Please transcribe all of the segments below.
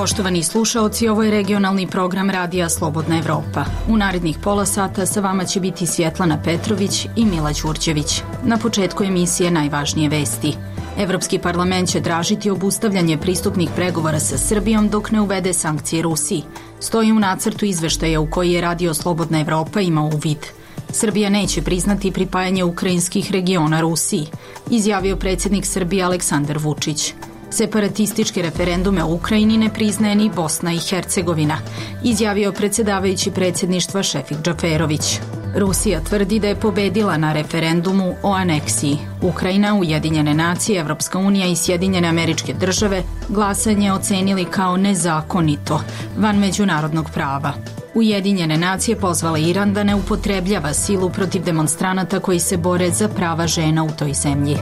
Poštovani slušaoci, ovo je regionalni program Radija Slobodna Evropa. U narednih pola sata sa vama će biti Svjetlana Petrović i Mila Đurđević. Na početku emisije najvažnije vesti. Evropski parlament će tražiti obustavljanje pristupnih pregovora sa Srbijom dok ne uvede sankcije Rusiji. Stoji u nacrtu izveštaja u koji je Radio Slobodna Evropa imao uvid. Srbija neće priznati pripajanje ukrajinskih regiona Rusiji, izjavio predsjednik Srbije Aleksandar Vučić. Separatističke referendume u Ukrajini ne priznaje ni Bosna i Hercegovina, izjavio predsjedavajući predsjedništva Šefik Džaferović. Rusija tvrdi da je pobedila na referendumu o aneksiji. Ukrajina, Ujedinjene nacije, Evropska unija i Sjedinjene Američke Države glasanje ocenili kao nezakonito, van međunarodnog prava. Ujedinjene nacije pozvale Iran da ne upotrebljava silu protiv demonstranata koji se bore za prava žena u toj zemlji.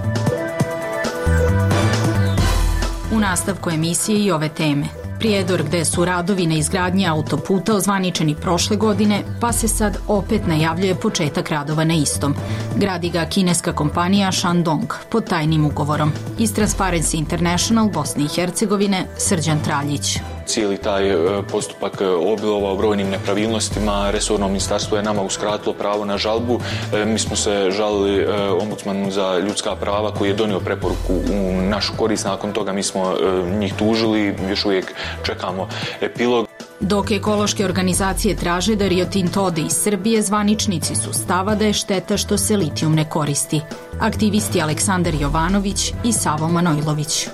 U nastavku emisije i ove teme. Prijedor gde su radovi na izgradnji autoputa ozvaničeni prošle godine, pa se sad opet najavljuje početak radova na istom. Gradi ga kineska kompanija Shandong pod tajnim ugovorom. Iz Transparency International Bosne i Hercegovine Srđan Traljić. Cijeli taj postupak obilovao brojnim nepravilnostima. Resorno ministarstvo je nama uskratilo pravo na žalbu. Mi smo se žalili ombudsmanu za ljudska prava koji je donio preporuku u našu korist. Nakon toga mi smo njih tužili, još uvijek čekamo epilog. Dok ekološke organizacije traže da Rio Tinto ode iz Srbije, zvaničnici su stava da je šteta što se litijum ne koristi. Aktivisti Aleksandar Jovanović i Savo Manojlović.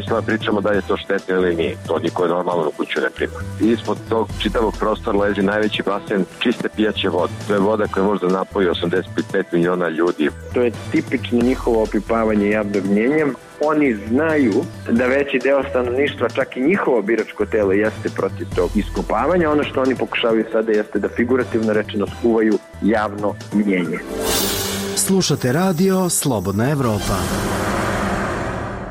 Sve pričamo da je to štetno ili nije. To niko normalno u kuću ne prima. Ispod tog čitavog prostora leži najveći basen čiste pijaće vode. To je voda koja može da napoji 85 miliona ljudi. To je tipično njihovo opipavanje javnog mnjenja. Oni znaju da veći deo stanovništva, čak i njihovo biračko telo, jeste protiv tog iskopavanja. Ono što oni pokušavaju sada jeste da figurativno rečeno skuvaju javno mnjenje. Slušate Radio Slobodna Evropa.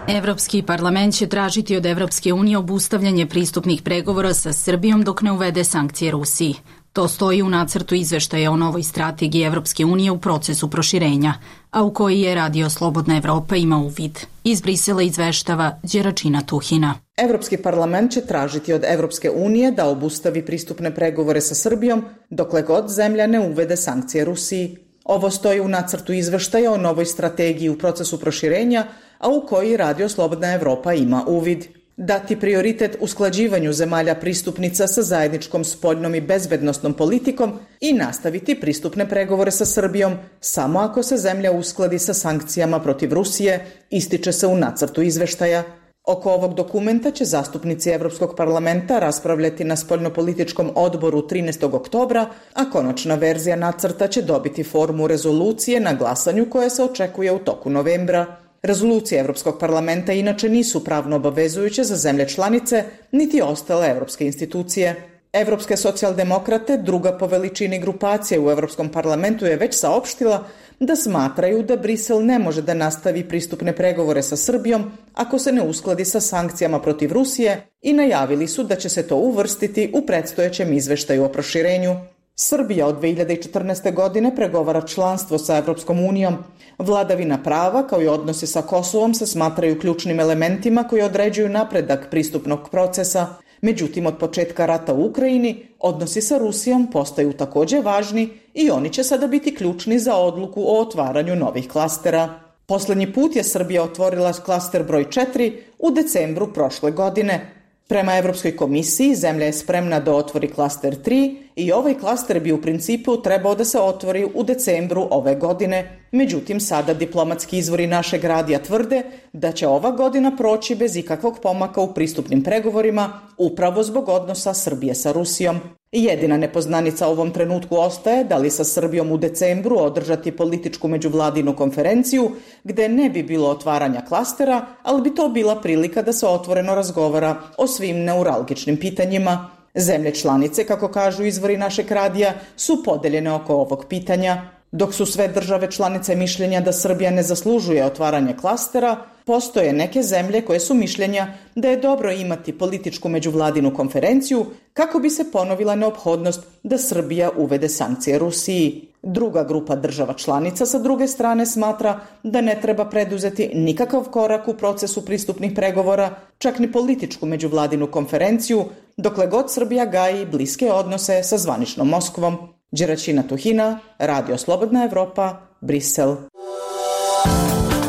Evropski parlament će tražiti od Evropske unije obustavljanje pristupnih pregovora sa Srbijom dok ne uvede sankcije Rusiji. To stoji u nacrtu izveštaja o novoj strategiji Evropske unije u procesu proširenja, a u koji je Radio Slobodna Evropa ima uvid. Iz Brisela izveštava Đeračina Tuhina. Evropski parlament će tražiti od Evropske unije da obustavi pristupne pregovore sa Srbijom dokle god zemlja ne uvede sankcije Rusiji. Ovo stoji u nacrtu izveštaja o novoj strategiji u procesu proširenja, a u koji Radio Slobodna Evropa ima uvid. Dati prioritet usklađivanju zemalja pristupnica sa zajedničkom spoljnom i bezbednosnom politikom i nastaviti pristupne pregovore sa Srbijom samo ako se zemlja uskladi sa sankcijama protiv Rusije, ističe se u nacrtu izveštaja. Oko ovog dokumenta će zastupnici Evropskog parlamenta raspravljati na spoljnopolitičkom odboru 13. oktobra, a konačna verzija nacrta će dobiti formu rezolucije na glasanju koje se očekuje u toku novembra. Rezolucije Evropskog parlamenta inače nisu pravno obavezujuće za zemlje članice, niti ostale evropske institucije. Evropske socijaldemokrate, druga po veličini grupacije u Evropskom parlamentu, je već saopštila da smatraju da Brisel ne može da nastavi pristupne pregovore sa Srbijom ako se ne uskladi sa sankcijama protiv Rusije i najavili su da će se to uvrstiti u predstojećem izveštaju o proširenju. Srbija od 2014. godine pregovara članstvo sa Evropskom unijom. Vladavina prava kao i odnosi sa Kosovom se smatraju ključnim elementima koji određuju napredak pristupnog procesa. Međutim, od početka rata u Ukrajini, odnosi sa Rusijom postaju također važni i oni će sada biti ključni za odluku o otvaranju novih klastera. Poslednji put je Srbija otvorila klaster broj 4 u decembru prošle godine. Prema Evropskoj komisiji, zemlja je spremna da otvori klaster 3 i ovaj klaster bi u principu trebao da se otvori u decembru ove godine. Međutim, sada diplomatski izvori našeg radija tvrde da će ova godina proći bez ikakvog pomaka u pristupnim pregovorima, upravo zbog odnosa Srbije sa Rusijom. Jedina nepoznanica u ovom trenutku ostaje da li sa Srbijom u decembru održati političku međuvladinu konferenciju gde ne bi bilo otvaranja klastera, ali bi to bila prilika da se otvoreno razgovara o svim neuralgičnim pitanjima. Zemlje članice, kako kažu izvori našeg radija, su podeljene oko ovog pitanja. Dok su sve države članice mišljenja da Srbija ne zaslužuje otvaranje klastera, postoje neke zemlje koje su mišljenja da je dobro imati političku međuvladinu konferenciju kako bi se ponovila neophodnost da Srbija uvede sankcije Rusiji. Druga grupa država članica sa druge strane smatra da ne treba preduzeti nikakav korak u procesu pristupnih pregovora, čak ni političku međuvladinu konferenciju, dokle god Srbija gaji bliske odnose sa zvaničnom Moskvom. Đeračina Tuhina, Radio Slobodna Evropa, Brisel.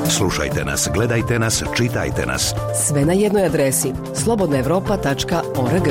Slušajte nas, gledajte nas, čitajte nas. Sve na jednoj adresi slobodnaevropa.org.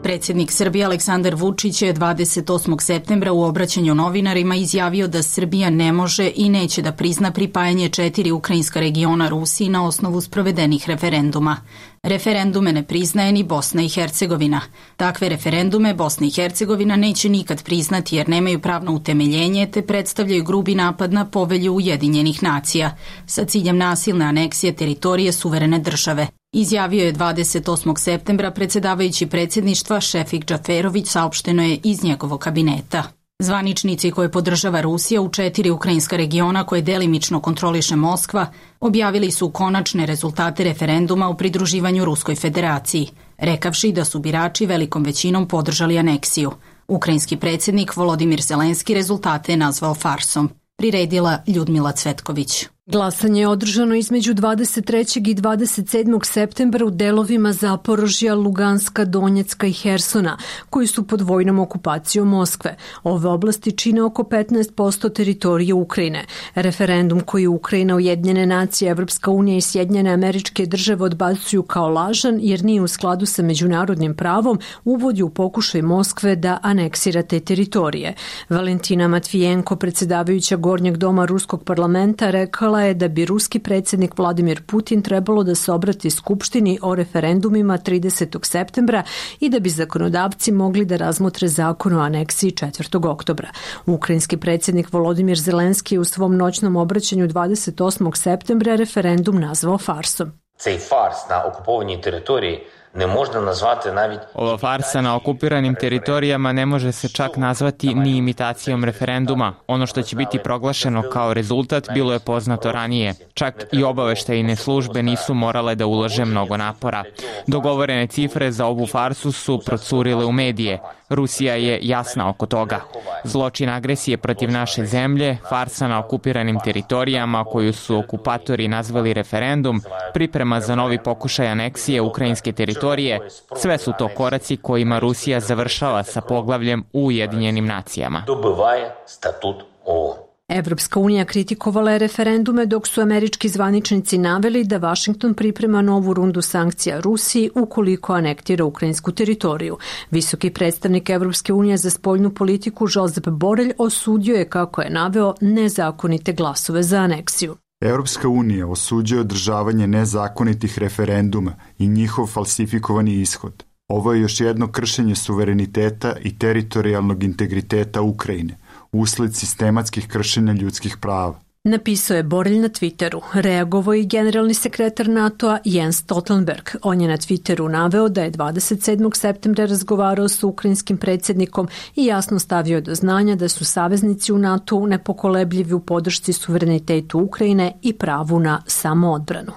Predsjednik Srbije Aleksandar Vučić je 28. septembra u obraćanju novinarima izjavio da Srbija ne može i neće da prizna pripajanje 4 ukrajinska regiona Rusiji na osnovu sprovedenih referenduma. Referendume ne priznaje ni Bosna i Hercegovina. Takve referendume Bosna i Hercegovina neće nikad priznati jer nemaju pravno utemeljenje te predstavljaju grubi napad na Povelju Ujedinjenih nacija sa ciljem nasilne aneksije teritorije suverene države. Izjavio je 28. septembra predsjedavajući predsjedništva Šefik Džaferović, saopšteno je iz njegovog kabineta. Zvaničnici koje podržava Rusija u 4 ukrajinska regiona koje delimično kontroliše Moskva objavili su konačne rezultate referenduma o pridruživanju Ruskoj federaciji, rekavši da su birači velikom većinom podržali aneksiju. Ukrajinski predsjednik Volodimir Zelenski rezultate je nazvao farsom. Priredila Ljudmila Cvetković. Glasanje je održano između 23. i 27. septembra u delovima Zaporožja, Luganska, Donjecka i Hersona, koji su pod vojnom okupacijom Moskve. Ove oblasti čine oko 15% teritorije Ukrajine. Referendum koji Ukrajina, Ujedinjene nacije, Evropska unija i Sjedinjene Američke Države odbacuju kao lažan jer nije u skladu sa međunarodnim pravom, uvodi u pokušaj Moskve da aneksira te teritorije. Valentina Matvijenko, predsjedavajuća Gornjeg doma Ruskog parlamenta, rekala je da bi ruski predsjednik Vladimir Putin trebalo da se obrati Skupštini o referendumima 30. septembra i da bi zakonodavci mogli da razmotre zakon o aneksiji 4. oktobra. Ukrajinski predsjednik Volodimir Zelenski je u svom noćnom obraćanju 28. septembra referendum nazvao farsom. Цей фарс на окупованій території ne možda nazvati навіть... Ova farsa na okupiranim teritorijama ne može se čak nazvati ni imitacijom referenduma. Ono što će biti proglašeno kao rezultat bilo je poznato ranije. Čak i obaveštajne službe nisu morale da ulože mnogo napora. Dogovorene cifre za ovu farsu su procurile u medije. Rusija je jasna oko toga. Zločin agresije protiv naše zemlje, farsa na okupiranim teritorijama koju su okupatori nazvali referendum, priprema za novi pokušaj aneksije ukrajinske teritorije, sve su to koraci kojima Rusija završava sa poglavljem u Ujedinjenim nacijama. Dobivaje statut OON. Evropska unija kritikovala je referendume dok su američki zvaničnici naveli da Vašington priprema novu rundu sankcija Rusiji ukoliko anektira ukrajinsku teritoriju. Visoki predstavnik Evropske unije za spoljnu politiku Josep Borrell osudio je, kako je naveo, nezakonite glasove za aneksiju. Evropska unija osuđuje održavanje nezakonitih referenduma i njihov falsifikovani ishod. Ovo je još jedno kršenje suvereniteta i teritorijalnog integriteta Ukrajine usled sistematskih kršenja ljudskih prava. Napisao je Borrell na Twitteru. Reagovao i generalni sekretar NATO-a Jens Stoltenberg. On je na Twitteru naveo da je 27. septembra razgovarao sa ukrajinskim predsjednikom i jasno stavio do znanja da su saveznici u NATO-u nepokolebljivi u podršci suverenitetu Ukrajine i pravu na samoodbranu.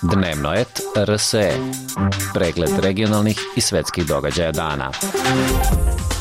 Dnevno et RSE. Pregled regionalnih i svetskih događaja dana.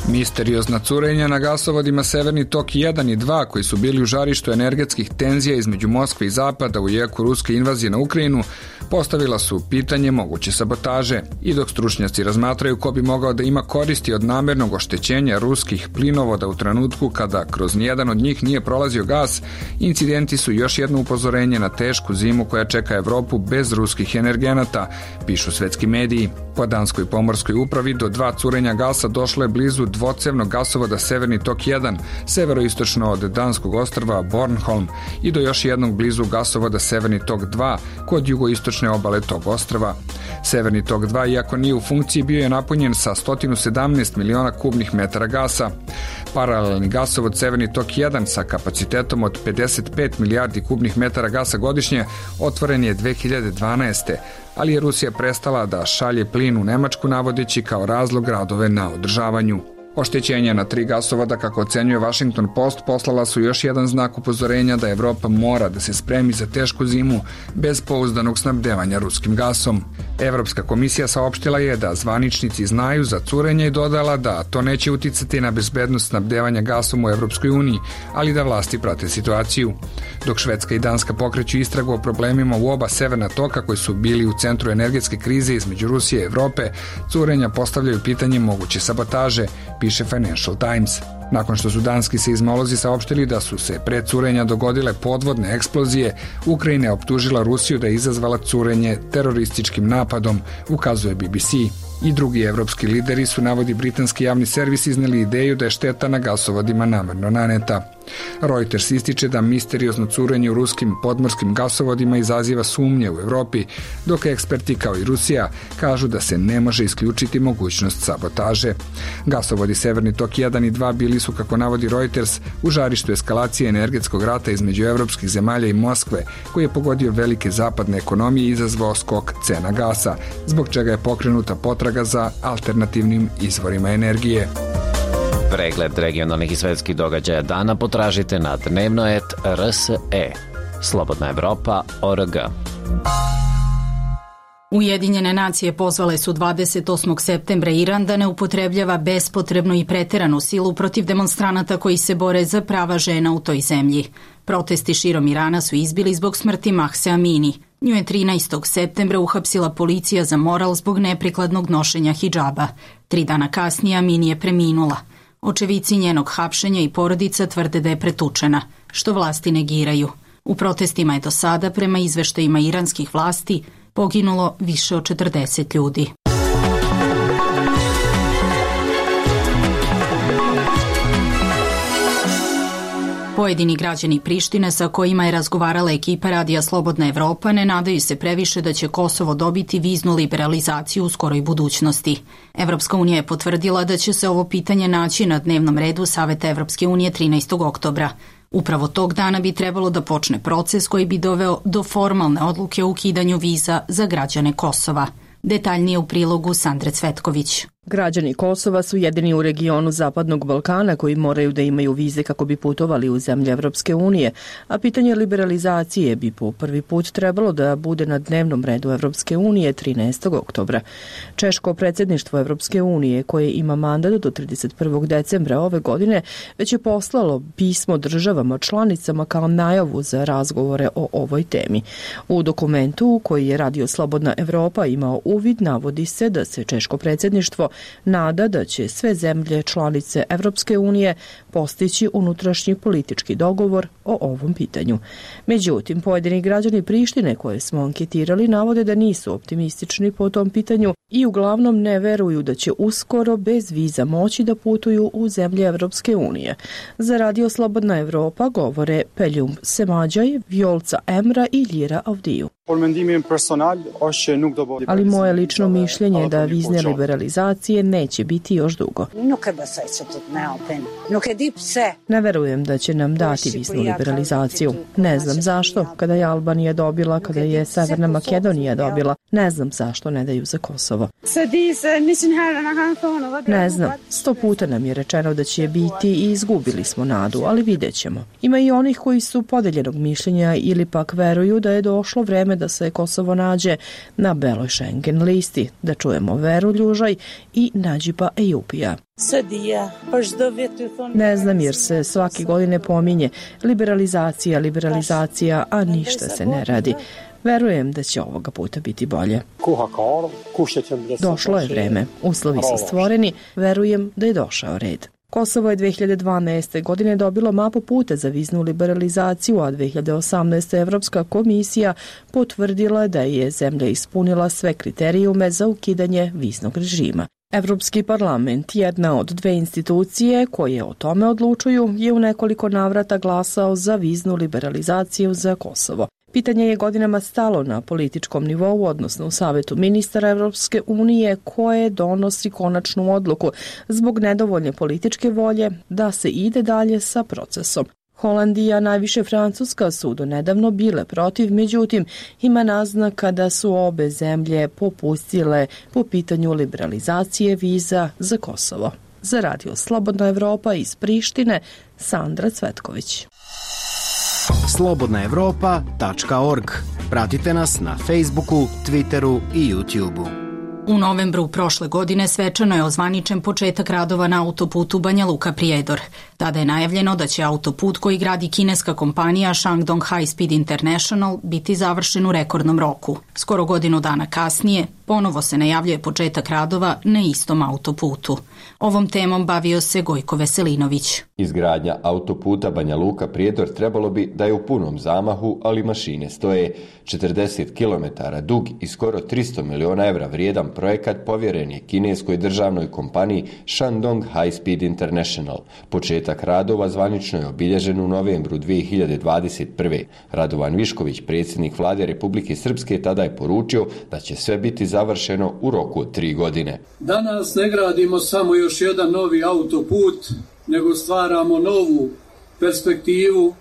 Misteriozna curenja na gasovodima Severni tok 1 i 2 koji su bili u žarištu energetskih tenzija između Moskve i Zapada u jeku ruske invazije na Ukrajinu postavila su pitanje moguće sabotaže i dok stručnjaci razmatraju ko bi mogao da ima koristi od namernog oštećenja ruskih plinovoda u trenutku kada kroz nijedan od njih nije prolazio gas, incidenti su još jedno upozorenje na tešku zimu koja čeka Evropu bez ruskih energenata, pišu svetski mediji. Po danskoj pomorskoj upravi do 2 curenja gasa došlo je blizu dvocevnog gasovoda Severni tok 1, severoistočno od danskog ostrva Bornholm i do još jednog blizu gasovoda Severni tok 2 kod jugoistočne obale tog ostrva. Severni tok 2, iako nije u funkciji, bio je napunjen sa 117 miliona kubnih metara gasa. Paralelni gasovod Severni tok 1 sa kapacitetom od 55 milijardi kubnih metara gasa godišnje otvoren je 2012. ali je Rusija prestala da šalje plin u Nemačku navodeći kao razlog radove na održavanju. Oštećenja na 3 gasovoda, kako ocenjuje Washington Post, poslala su još jedan znak upozorenja da Evropa mora da se spremi za tešku zimu bez pouzdanog snabdevanja ruskim gasom. Evropska komisija saopštila je da zvaničnici znaju za curenje i dodala da to neće uticati na bezbednost snabdevanja gasom u Evropskoj uniji, ali da vlasti prate situaciju. Dok Švedska i Danska pokreću istragu o problemima u oba severna toka koji su bili u centru energetske krize između Rusije i Evrope, curenja postavljaju pitanje moguće sabotaže, piše Financial Times. Nakon što su danski seizmolozi saopštili da su se pre curenja dogodile podvodne eksplozije, Ukrajina je optužila Rusiju da je izazvala curenje terorističkim napadom, ukazuje BBC. I drugi evropski lideri su, navodi britanski javni servis, izneli ideju da je šteta na gasovodima namerno naneta. Reuters ističe da misteriozno curenje u ruskim podmorskim gasovodima izaziva sumnje u Evropi, dok eksperti kao i Rusija kažu da se ne može isključiti mogućnost sabotaže. Gasovodi Severni tok 1 i 2 bili su, kako navodi Reuters, u žarištu eskalacije energetskog rata između evropskih zemalja i Moskve, koji je pogodio velike zapadne ekonomije i izazvao skok cena gasa, zbog čega je pokrenuta potraga za alternativnim izvorima energije. Pregled regionalnih i svetskih događaja dana potražite na dnevnoet.rse. Slobodna Evropa.org. Ujedinjene nacije pozvale su 28. septembra Iran da ne upotrebljava bespotrebnu i preteranu silu protiv demonstranata koji se bore za prava žena u toj zemlji. Protesti širom Irana su izbili zbog smrti Mahse Amini. Nju je 13. septembra uhapsila policija za moral zbog neprikladnog nošenja hidžaba. 3 dana kasnije Amini je preminula. Očevici njenog hapšenja i porodica tvrde da je pretučena, što vlasti negiraju. U protestima je do sada, prema izveštajima iranskih vlasti, poginulo više od 40 ljudi. Pojedini građani Prištine sa kojima je razgovarala ekipa Radija Slobodna Evropa ne nadaju se previše da će Kosovo dobiti viznu liberalizaciju u skoroj budućnosti. Evropska unija je potvrdila da će se ovo pitanje naći na dnevnom redu Saveta Evropske unije 13. oktobra. Upravo tog dana bi trebalo da počne proces koji bi doveo do formalne odluke o ukidanju viza za građane Kosova. Detaljnije u prilogu Sandre Cvetković. Građani Kosova su jedini u regionu Zapadnog Balkana koji moraju da imaju vize kako bi putovali u zemlje Evropske unije, a pitanje liberalizacije bi po prvi put trebalo da bude na dnevnom redu Evropske unije 13. oktobra. Češko predsjedništvo Evropske unije, koje ima mandat do 31. decembra ove godine, već je poslalo pismo državama članicama kao najavu za razgovore o ovoj temi. U dokumentu u koji je Radio Slobodna Evropa imao uvid, navodi se da se Češko predsjedništvo nada da će sve zemlje članice Evropske unije postići unutrašnji politički dogovor o ovom pitanju. Međutim, pojedini građani Prištine koje smo anketirali navode da nisu optimistični po tom pitanju i uglavnom ne veruju da će uskoro bez viza moći da putuju u zemlje Evropske unije. Za Radio Slobodna Evropa govore Peljum Semađaj, Vjolca Emra i Ljira Avdiju. Ali moje lično mišljenje je da vizne liberalizacije neće biti još dugo. Ne verujem da će nam dati viznu liberalizaciju. Ne znam zašto, kada je Albanija dobila, kada je Severna Makedonija dobila. Ne znam zašto ne daju za Kosovo. Ne znam, 100 puta nam je rečeno da će biti i izgubili smo nadu, ali vidjet ćemo. Ima i onih koji su podeljenog mišljenja ili pak veruju da je došlo vreme da se Kosovo nađe na beloj Schengen listi, da čujemo Veru Ljužaj i Nadžiba Ejupija. Ne znam jer se svake godine pominje liberalizacija, a ništa se ne radi. Verujem da će ovoga puta biti bolje. Došlo je vreme, uslovi su stvoreni, verujem da je došao red. Kosovo je 2012. godine dobilo mapu puta za viznu liberalizaciju, a 2018. Evropska komisija potvrdila da je zemlja ispunila sve kriterijume za ukidanje viznog režima. Evropski parlament, jedna od 2 institucije koje o tome odlučuju, je u nekoliko navrata glasao za viznu liberalizaciju za Kosovo. Pitanje je godinama stalo na političkom nivou, odnosno u Savetu ministara Evropske unije, koje donosi konačnu odluku zbog nedovoljne političke volje da se ide dalje sa procesom. Holandija, najviše Francuska su do nedavno bile protiv, međutim ima naznaka da su obe zemlje popustile po pitanju liberalizacije viza za Kosovo. Za Radio Slobodna Evropa iz Prištine, Sandra Cvetković. slobodnaevropa.org. Pratite nas na Facebooku, Twitteru i YouTubeu. U novembru prošle godine svečano je ozvaničen početak radova na autoputu Banja Luka-Prijedor. Tada je najavljeno da će autoput koji gradi kineska kompanija Shandong High Speed International biti završen u rekordnom roku. Skoro godinu dana kasnije ponovo se najavljuje početak radova na istom autoputu. Ovom temom bavio se Gojko Veselinović. Izgradnja autoputa Banja Luka-Prijedor trebalo bi da je u punom zamahu, ali mašine stoje. 40 km dug i skoro 300 miliona evra vrijedan projekat povjeren je kineskoj državnoj kompaniji Shandong High Speed International. Početak radova zvanično je obilježen u novembru 2021. Radovan Višković, predsjednik vlade Republike Srpske, tada je poručio da će sve biti završeno u roku od 3 godine. Danas ne gradimo samo još jedan novi autoput, nego stvaramo novu perspektivu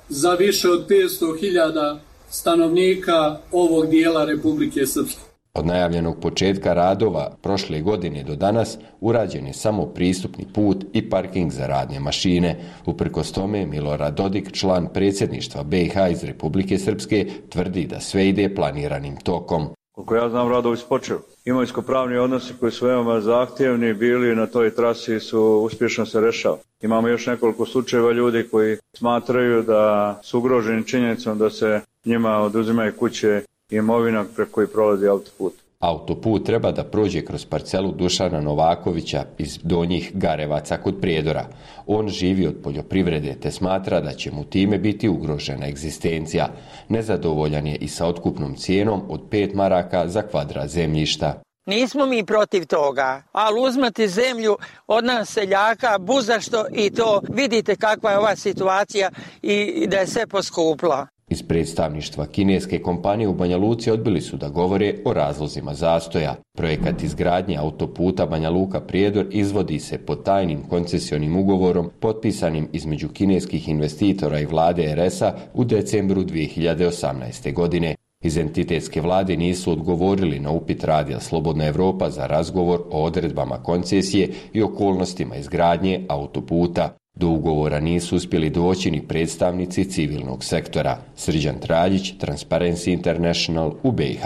za više od 500.000 stanovnika ovog dijela Republike Srpske. Od najavljenog početka radova prošle godine do danas urađen je samo pristupni put i parking za radne mašine. Uprkos tome, Milorad Dodik, član predsjedništva BiH iz Republike Srpske, tvrdi da sve ide planiranim tokom. Koliko ja znam, radovi su počeli. Imovinsko-pravni odnosi koji su veoma zahtjevni bili na toj trasi su uspješno se rešava. Imamo još nekoliko slučajeva ljudi koji smatraju da su ugroženi činjenicom da se njima oduzimaju kuće i imovina preko koji prolazi autoput. Autoput treba da prođe kroz parcelu Dušana Novakovića iz Donjih Garevaca kod Prijedora. On živi od poljoprivrede te smatra da će mu time biti ugrožena egzistencija. Nezadovoljan je i sa otkupnom cijenom od 5 maraka za kvadrat zemljišta. Nismo mi protiv toga, ali uzmati zemlju od nas seljaka buzašto i to vidite kakva je ova situacija i da je sve poskuplo. Iz predstavništva kineske kompanije u Banja Luci odbili su da govore o razlozima zastoja. Projekat izgradnje autoputa Banja Luka-Prijedor izvodi se pod tajnim koncesionim ugovorom potpisanim između kineskih investitora i vlade RS-a u decembru 2018. godine. Iz entitetske vlade nisu odgovorili na upit Radija Slobodna Evropa za razgovor o odredbama koncesije i okolnostima izgradnje autoputa. Do ugovora nisu uspjeli doći ni predstavnici civilnog sektora. Srđan Traljić, Transparency International u BiH.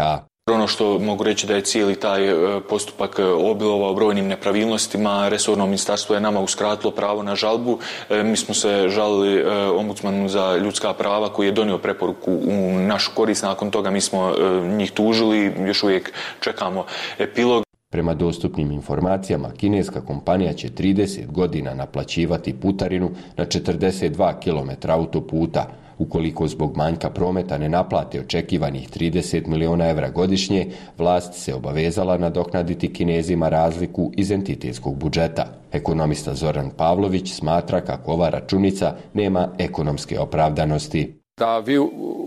Ono što mogu reći da je cijeli taj postupak obilovao brojnim nepravilnostima. Resorno ministarstvo je nama uskratilo pravo na žalbu. Mi smo se žalili ombudsmanu za ljudska prava koji je donio preporuku u našu korist. Nakon toga mi smo njih tužili, još uvijek čekamo epilog. Prema dostupnim informacijama, kineska kompanija će 30 godina naplaćivati putarinu na 42 km autoputa. Ukoliko zbog manjka prometa ne naplate očekivanih 30 miliona evra godišnje, vlast se obavezala nadoknaditi Kinezima razliku iz entitetskog budžeta. Ekonomista Zoran Pavlović smatra kako ova računica nema ekonomske opravdanosti. Da vi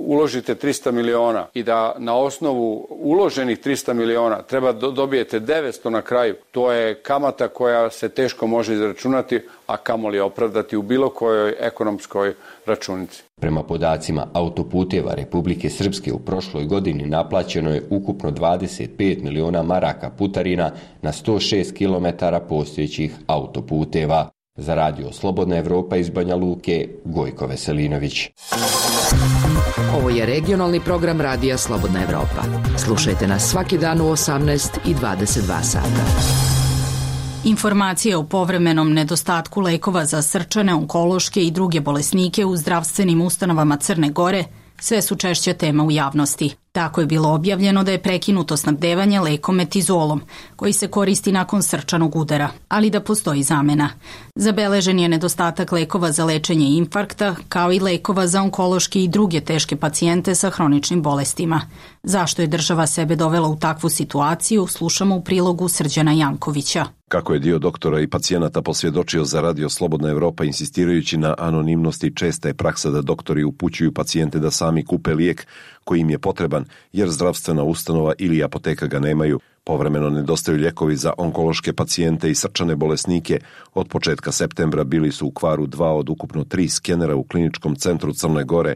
uložite 300 miliona i da na osnovu uloženih 300 miliona treba dobijete 900 na kraju, to je kamata koja se teško može izračunati, a kamoli opravdati u bilo kojoj ekonomskoj računici. Prema podacima autoputeva Republike Srpske u prošloj godini naplaćeno je ukupno 25 miliona maraka putarina na 106 km postojećih autoputeva. Za Radio Slobodna Evropa iz Banja Luke, Gojko Veselinović. Ovo je regionalni program Radija Slobodna Evropa. Slušajte nas svaki dan u 18 i 22 sata. Informacije o povremenom nedostatku lekova za srčane, onkološke i druge bolesnike u zdravstvenim ustanovama Crne Gore sve su češća tema u javnosti. Tako je bilo objavljeno da je prekinuto snabdevanje lekom metizolom, koji se koristi nakon srčanog udara, ali da postoji zamena. Zabeležen je nedostatak lekova za lečenje infarkta, kao i lekova za onkološke i druge teške pacijente sa hroničnim bolestima. Zašto je država sebe dovela u takvu situaciju, slušamo u prilogu Srđana Jankovića. Kako je dio doktora i pacijenata posvjedočio za Radio Slobodna Evropa insistirajući na anonimnosti, česta je praksa da doktori upućuju pacijente da sami kupe lijek koji im je potreban jer zdravstvena ustanova ili apoteka ga nemaju. Povremeno nedostaju ljekovi za onkološke pacijente i srčane bolesnike. Od početka septembra bili su u kvaru 2 od ukupno 3 skenera u kliničkom centru Crne Gore.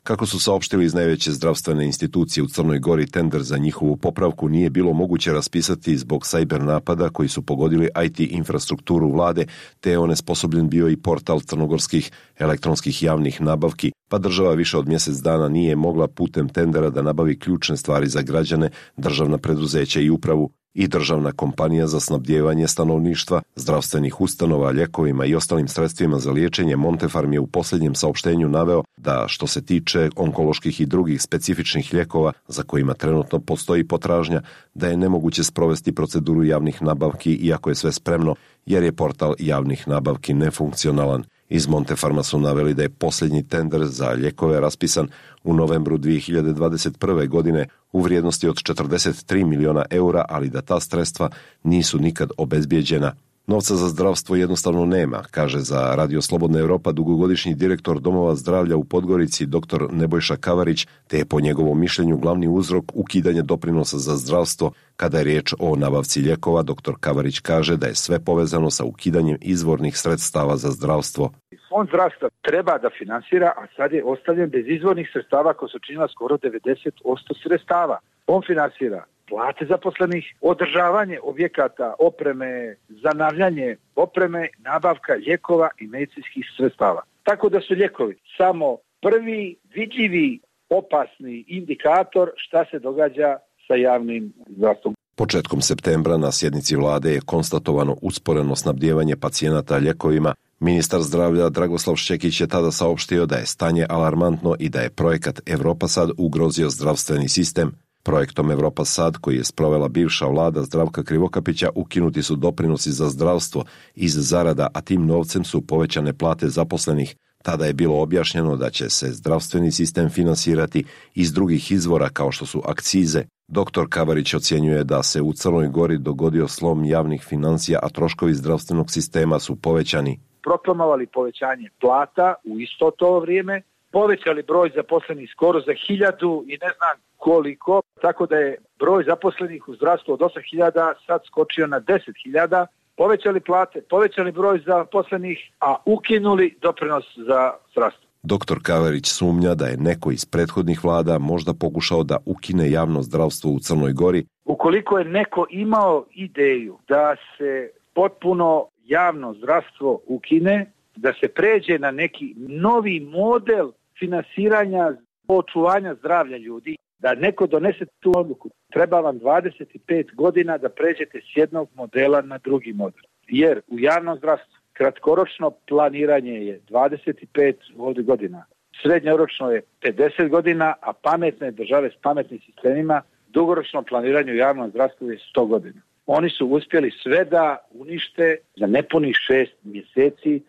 Kako su saopštili iz najveće zdravstvene institucije u Crnoj Gori, tender za njihovu popravku nije bilo moguće raspisati zbog sajber napada koji su pogodili IT infrastrukturu vlade, te je onesposobljen bio i portal crnogorskih elektronskih javnih nabavki, pa država više od mjesec dana nije mogla putem tendera da nabavi ključne stvari za građane, državna preduzeća i upravu. I državna kompanija za snabdijevanje stanovništva, zdravstvenih ustanova, ljekovima i ostalim sredstvima za liječenje Montefarm je u posljednjem saopštenju naveo da što se tiče onkoloških i drugih specifičnih lijekova za kojima trenutno postoji potražnja, da je nemoguće sprovesti proceduru javnih nabavki iako je sve spremno, jer je portal javnih nabavki nefunkcionalan. Iz Montefarma su naveli da je posljednji tender za lijekove raspisan u novembru 2021. godine u vrijednosti od 43 miliona eura, ali da ta sredstva nisu nikad obezbijeđena. Novca za zdravstvo jednostavno nema, kaže za Radio Slobodna Evropa dugogodišnji direktor Domova zdravlja u Podgorici dr. Nebojša Kavarić, te je po njegovom mišljenju glavni uzrok ukidanje doprinosa za zdravstvo. Kada je riječ o nabavci lijekova, dr. Kavarić kaže da je sve povezano sa ukidanjem izvornih sredstava za zdravstvo. Fond zdravstva treba da finansira, a sad je ostavljen bez izvornih sredstava koja su činila skoro 90% sredstava. On finansira plate zaposlenih, održavanje objekata, opreme, zanavljanje opreme, nabavka lijekova i medicinskih sredstava. Tako da su lijekovi samo prvi vidljivi opasni indikator šta se događa sa javnim zdravstvom. Početkom septembra na sjednici vlade je konstatovano usporeno snabdijevanje pacijenata lijekovima. Ministar zdravlja Dragoslav Šćekić je tada saopštio da je stanje alarmantno i da je projekat Evropa Sad ugrozio zdravstveni sistem. Projektom Evropa Sad, koji je sprovela bivša vlada Zdravka Krivokapića, ukinuti su doprinosi za zdravstvo iz zarada, a tim novcem su povećane plate zaposlenih. Tada je bilo objašnjeno da će se zdravstveni sistem finansirati iz drugih izvora kao što su akcize. Dr. Kavarić ocjenjuje da se u Crnoj Gori dogodio slom javnih financija, a troškovi zdravstvenog sistema su povećani. Proklamovali povećanje plata u isto to vrijeme, povećali broj zaposlenih skoro za 1000 i ne znam koliko, tako da je broj zaposlenih u zdravstvu od 8000 sad skočio na 10.000, povećali plate, povećali broj zaposlenih, a ukinuli doprinos za zdravstvo. Dr. Kavarić sumnja da je neko iz prethodnih vlada možda pokušao da ukine javno zdravstvo u Crnoj Gori. Ukoliko je neko imao ideju da se potpuno javno zdravstvo ukine, da se pređe na neki novi model finansiranja očuvanja zdravlja ljudi, da neko donese tu odluku, treba vam 25 godina da pređete s jednog modela na drugi model. Jer u javnom zdravstvu kratkoročno planiranje je 25 godina, srednjoročno je 50 godina, a pametne države s pametnim sistemima dugoročno planiranje u javnom zdravstvu je 100 godina. Oni su uspjeli sve da unište za nepunih 6 mjeseci.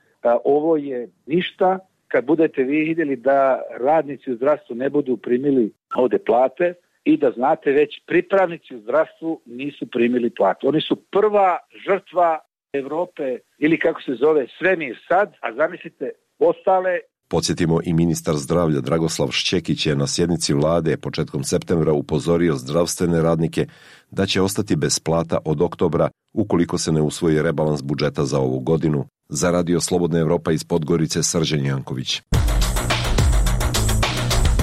Ovo je ništa. Kad budete vi vidjeli da radnici u zdravstvu ne budu primili ovdje plate i da znate već pripravnici u zdravstvu nisu primili plate. Oni su prva žrtva Europe ili kako se zove svemir sad, a zamislite ostale. Podsjetimo, i ministar zdravlja Dragoslav Šćekić je na sjednici vlade početkom septembra upozorio zdravstvene radnike da će ostati bez plata od oktobra ukoliko se ne usvoji rebalans budžeta za ovu godinu. Za Radio Slobodna Evropa iz Podgorice, Srđan Janković.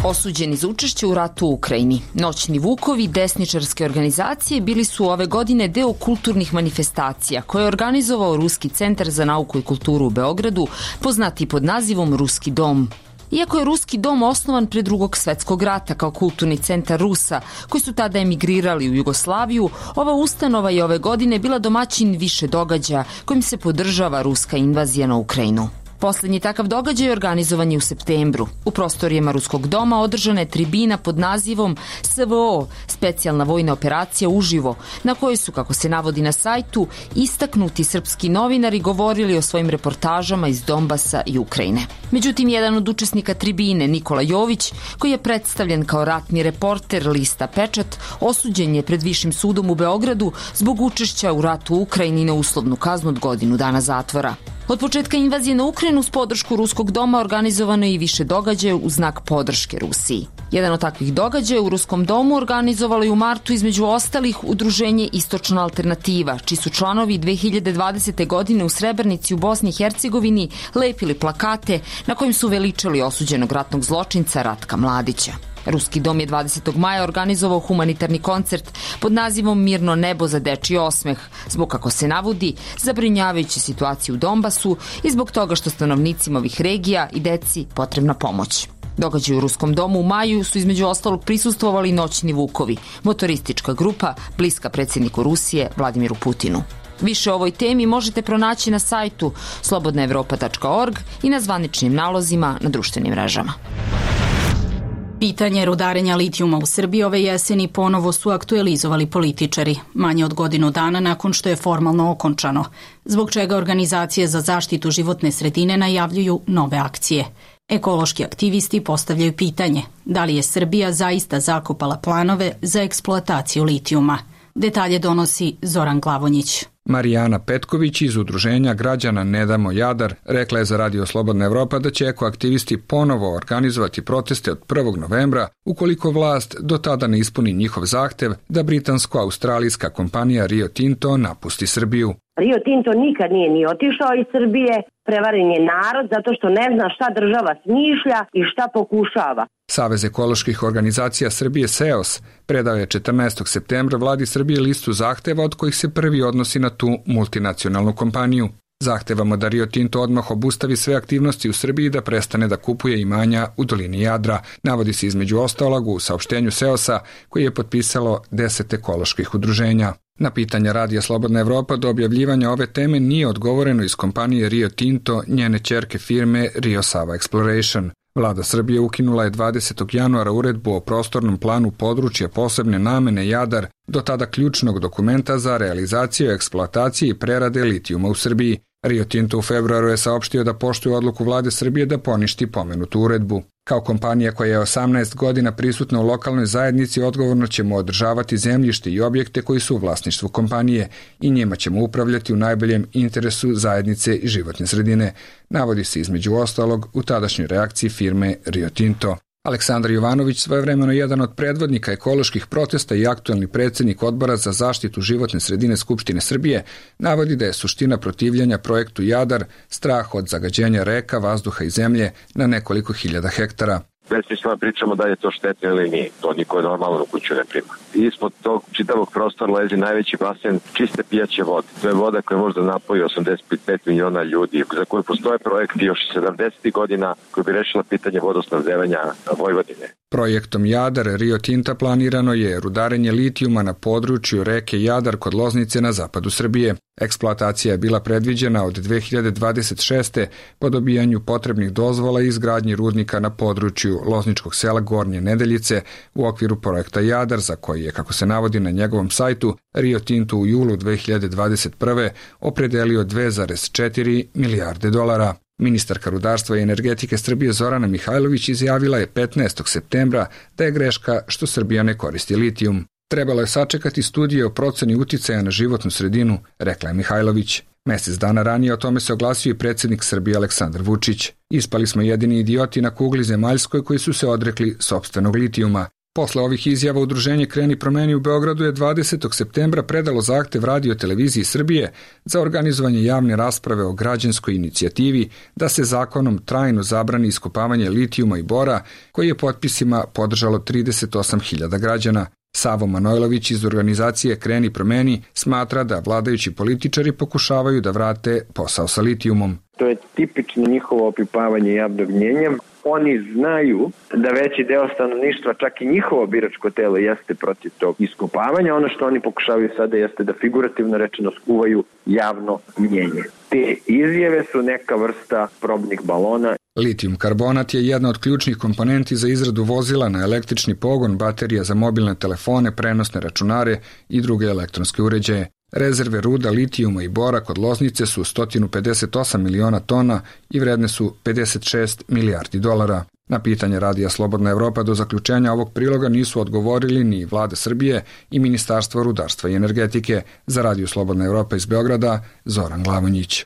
Osuđeni za učešće u ratu u Ukrajini. Noćni vukovi desničarske organizacije bili su ove godine deo kulturnih manifestacija koje je organizovao Ruski centar za nauku i kulturu u Beogradu, poznati pod nazivom Ruski dom. Iako je Ruski dom osnovan pre Drugog svetskog rata kao kulturni centar Rusa, koji su tada emigrirali u Jugoslaviju, ova ustanova je ove godine bila domaćin više događaja kojim se podržava ruska invazija na Ukrajinu. Poslednji takav događaj organizovan je u septembru. U prostorijama Ruskog doma održana je tribina pod nazivom SVO, specijalna vojna operacija uživo, na kojoj su, kako se navodi na sajtu, istaknuti srpski novinari govorili o svojim reportažama iz Donbasa i Ukrajine. Međutim, jedan od učesnika tribine, Nikola Jović, koji je predstavljen kao ratni reporter lista Pečat, osuđen je pred Višim sudom u Beogradu zbog učešća u ratu u Ukrajini na uslovnu kaznu od godinu dana zatvora. Od početka invazije na Ukrajinu s podršku Ruskog doma organizovano je i više događaja u znak podrške Rusiji. Jedan od takvih događaja u Ruskom domu organizovalo je u martu između ostalih udruženje Istočna alternativa, čiji su članovi 2020. godine u Srebrenici u Bosni i Hercegovini lepili plakate na kojim su veličali osuđenog ratnog zločinca Ratka Mladića. Ruski dom je 20. maja organizovao humanitarni koncert pod nazivom Mirno nebo za dečiji osmeh, zbog, kako se navodi, zabrinjavajuće situacije u Donbasu i zbog toga što stanovnicima ovih regija i deci potrebna pomoć. Događaj u Ruskom domu u maju su između ostalog prisustvovali Noćni vukovi, motoristička grupa bliska predsjedniku Rusije Vladimiru Putinu. Više o ovoj temi možete pronaći na sajtu slobodnaevropa.org i na zvaničnim nalozima na društvenim mrežama. Pitanje rudarenja litijuma u Srbiji ove jeseni ponovo su aktualizovali političari, manje od godinu dana nakon što je formalno okončano, zbog čega organizacije za zaštitu životne sredine najavljuju nove akcije. Ekološki aktivisti postavljaju pitanje da li je Srbija zaista zakopala planove za eksploataciju litijuma. Detalje donosi Zoran Glavonjić. Marijana Petković iz udruženja građana Ne damo Jadar rekla je za Radio Slobodna Evropa da će ekoaktivisti ponovo organizovati proteste od 1. novembra ukoliko vlast do tada ne ispuni njihov zahtev da britansko-australijska kompanija Rio Tinto napusti Srbiju. Rio Tinto nikad nije ni otišao iz Srbije, prevaren je narod zato što ne zna šta država smišlja i šta pokušava. Savez ekoloških organizacija Srbije SEOS predao je 14. septembra vladi Srbije listu zahteva od kojih se prvi odnosi na tu multinacionalnu kompaniju. Zahtevamo da Rio Tinto odmah obustavi sve aktivnosti u Srbiji i da prestane da kupuje imanja u dolini Jadra, navodi se između ostalog u saopštenju SEOS-a koji je potpisalo 10 ekoloških udruženja. Na pitanja Radija Slobodna Evropa do objavljivanja ove teme nije odgovoreno iz kompanije Rio Tinto, njene ćerke firme Rio Sava Exploration. Vlada Srbije ukinula je 20. januara uredbu o prostornom planu područja posebne namene Jadar, do tada ključnog dokumenta za realizaciju, eksploatacije i prerade litijuma u Srbiji. Rio Tinto u februaru je saopštio da poštuje odluku vlade Srbije da poništi pomenutu uredbu. Kao kompanija koja je 18 godina prisutna u lokalnoj zajednici, odgovorno ćemo održavati zemljište i objekte koji su u vlasništvu kompanije i njima ćemo upravljati u najboljem interesu zajednice i životne sredine, navodi se između ostalog u tadašnjoj reakciji firme Rio Tinto. Aleksandar Jovanović, svojevremeno jedan od predvodnika ekoloških protesta i aktuelni predsjednik Odbora za zaštitu životne sredine Skupštine Srbije, navodi da je suština protivljenja projektu Jadar strah od zagađenja reka, vazduha i zemlje na nekoliko hiljada hektara. Besmisleno pričamo da je to štetno ili nije. To niko normalno u kuću ne prima. Ispod tog čitavog prostora lezi najveći basen čiste pijaće vode. To je voda koja može da napoji 85 miliona ljudi, za koju postoje projekti još 70. godina koji bi rešila pitanje vodosnabdevanja Vojvodine. Projektom Jadar Rio Tinta planirano je rudarenje litijuma na području reke Jadar kod Loznice na zapadu Srbije. Eksploatacija je bila predviđena od 2026. po dobijanju potrebnih dozvola i izgradnji rudnika na području lozničkog sela Gornje Nedeljice u okviru projekta Jadar, za koji je, kako se navodi na njegovom sajtu, Rio Tinto u julu 2021. opredelio 2,4 milijarde dolara. Ministarka rudarstva i energetike Srbije Zorana Mihajlović izjavila je 15. septembra da je greška što Srbija ne koristi litijum. Trebalo je sačekati studije o proceni uticaja na životnu sredinu, rekla je Mihajlović. Mesec dana ranije o tome se oglasio i predsjednik Srbije Aleksandar Vučić. Ispali smo jedini idioti na kugli zemaljskoj koji su se odrekli sopstvenog litijuma. Posle ovih izjava udruženje Kreni promeni u Beogradu je 20. septembra predalo zahtev Radio televiziji Srbije za organizovanje javne rasprave o građanskoj inicijativi da se zakonom trajno zabrani iskopavanje litijuma i bora, koji je potpisima podržalo 38.000 građana. Savo Manojlović iz organizacije Kreni promeni smatra da vladajući političari pokušavaju da vrate posao sa litijumom. To je tipično njihovo opipavanje javnog mnjenja. Oni znaju da veći deo stanovništva, čak i njihovo biračko telo, jeste protiv tog iskopavanja. Ono što oni pokušavaju sada jeste da figurativno rečeno skuvaju javno mnjenje. Te izjave su neka vrsta probnih balona. Litijum karbonat je jedna od ključnih komponenti za izradu vozila na električni pogon, baterija za mobilne telefone, prenosne računare i druge elektronske uređaje. Rezerve ruda litijuma i bora kod Loznice su 158 miliona tona i vredne su 56 milijardi dolara. Na pitanje Radija Slobodna Evropa do zaključenja ovog priloga nisu odgovorili ni Vlada Srbije i Ministarstvo rudarstva i energetike. Za Radio Slobodna Evropa iz Beograda, Zoran Glavonjić.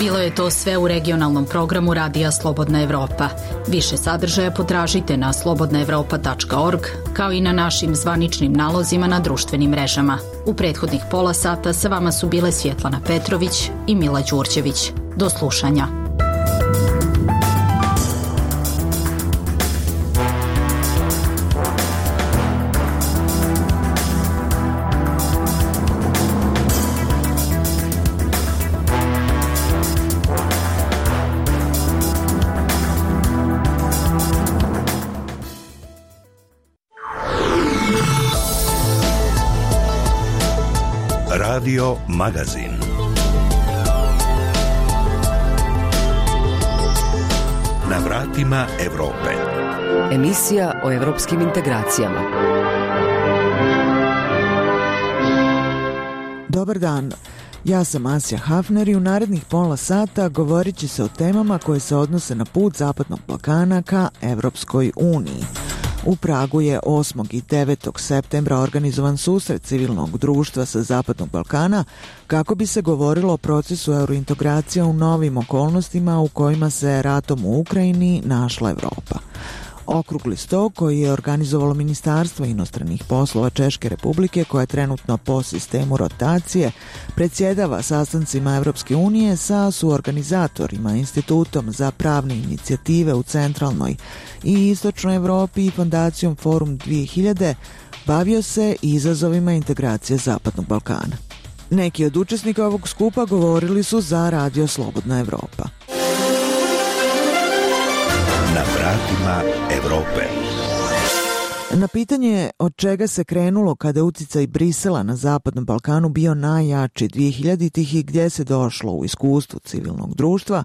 Bilo je to sve u regionalnom programu Radija Slobodna Evropa. Više sadržaja potražite na slobodnaevropa.org, kao i na našim zvaničnim nalozima na društvenim mrežama. U prethodnih pola sata sa vama su bile Svjetlana Petrović i Mila Đurđević. Do slušanja. Radio Magazin. Na vratima Evrope. Emisija o evropskim integracijama. Dobar dan. Ja sam Asja Hafner i u narednih pola sata govorit će se o temama koje se odnose na put Zapadnog Balkana ka Evropskoj uniji. U Pragu je 8. i 9. septembra organizovan susret civilnog društva sa Zapadnog Balkana kako bi se govorilo o procesu eurointegracija u novim okolnostima u kojima se ratom u Ukrajini našla Evropa. Okrugli sto koji je organizovalo Ministarstvo inostranih poslova Češke Republike, koja je trenutno po sistemu rotacije predsjedava sastancima Evropske unije sa suorganizatorima, Institutom za pravne inicijative u centralnoj i istočnoj Evropi i fondacijom Forum 2000, bavio se izazovima integracije Zapadnog Balkana. Neki od učesnika ovog skupa govorili su za Radio Slobodna Evropa. Na vratima Evrope. Na pitanje od čega se krenulo kada je uticaj Brisela na Zapadnom Balkanu bio najjači 2000-ih i gdje se došlo u iskustvu civilnog društva,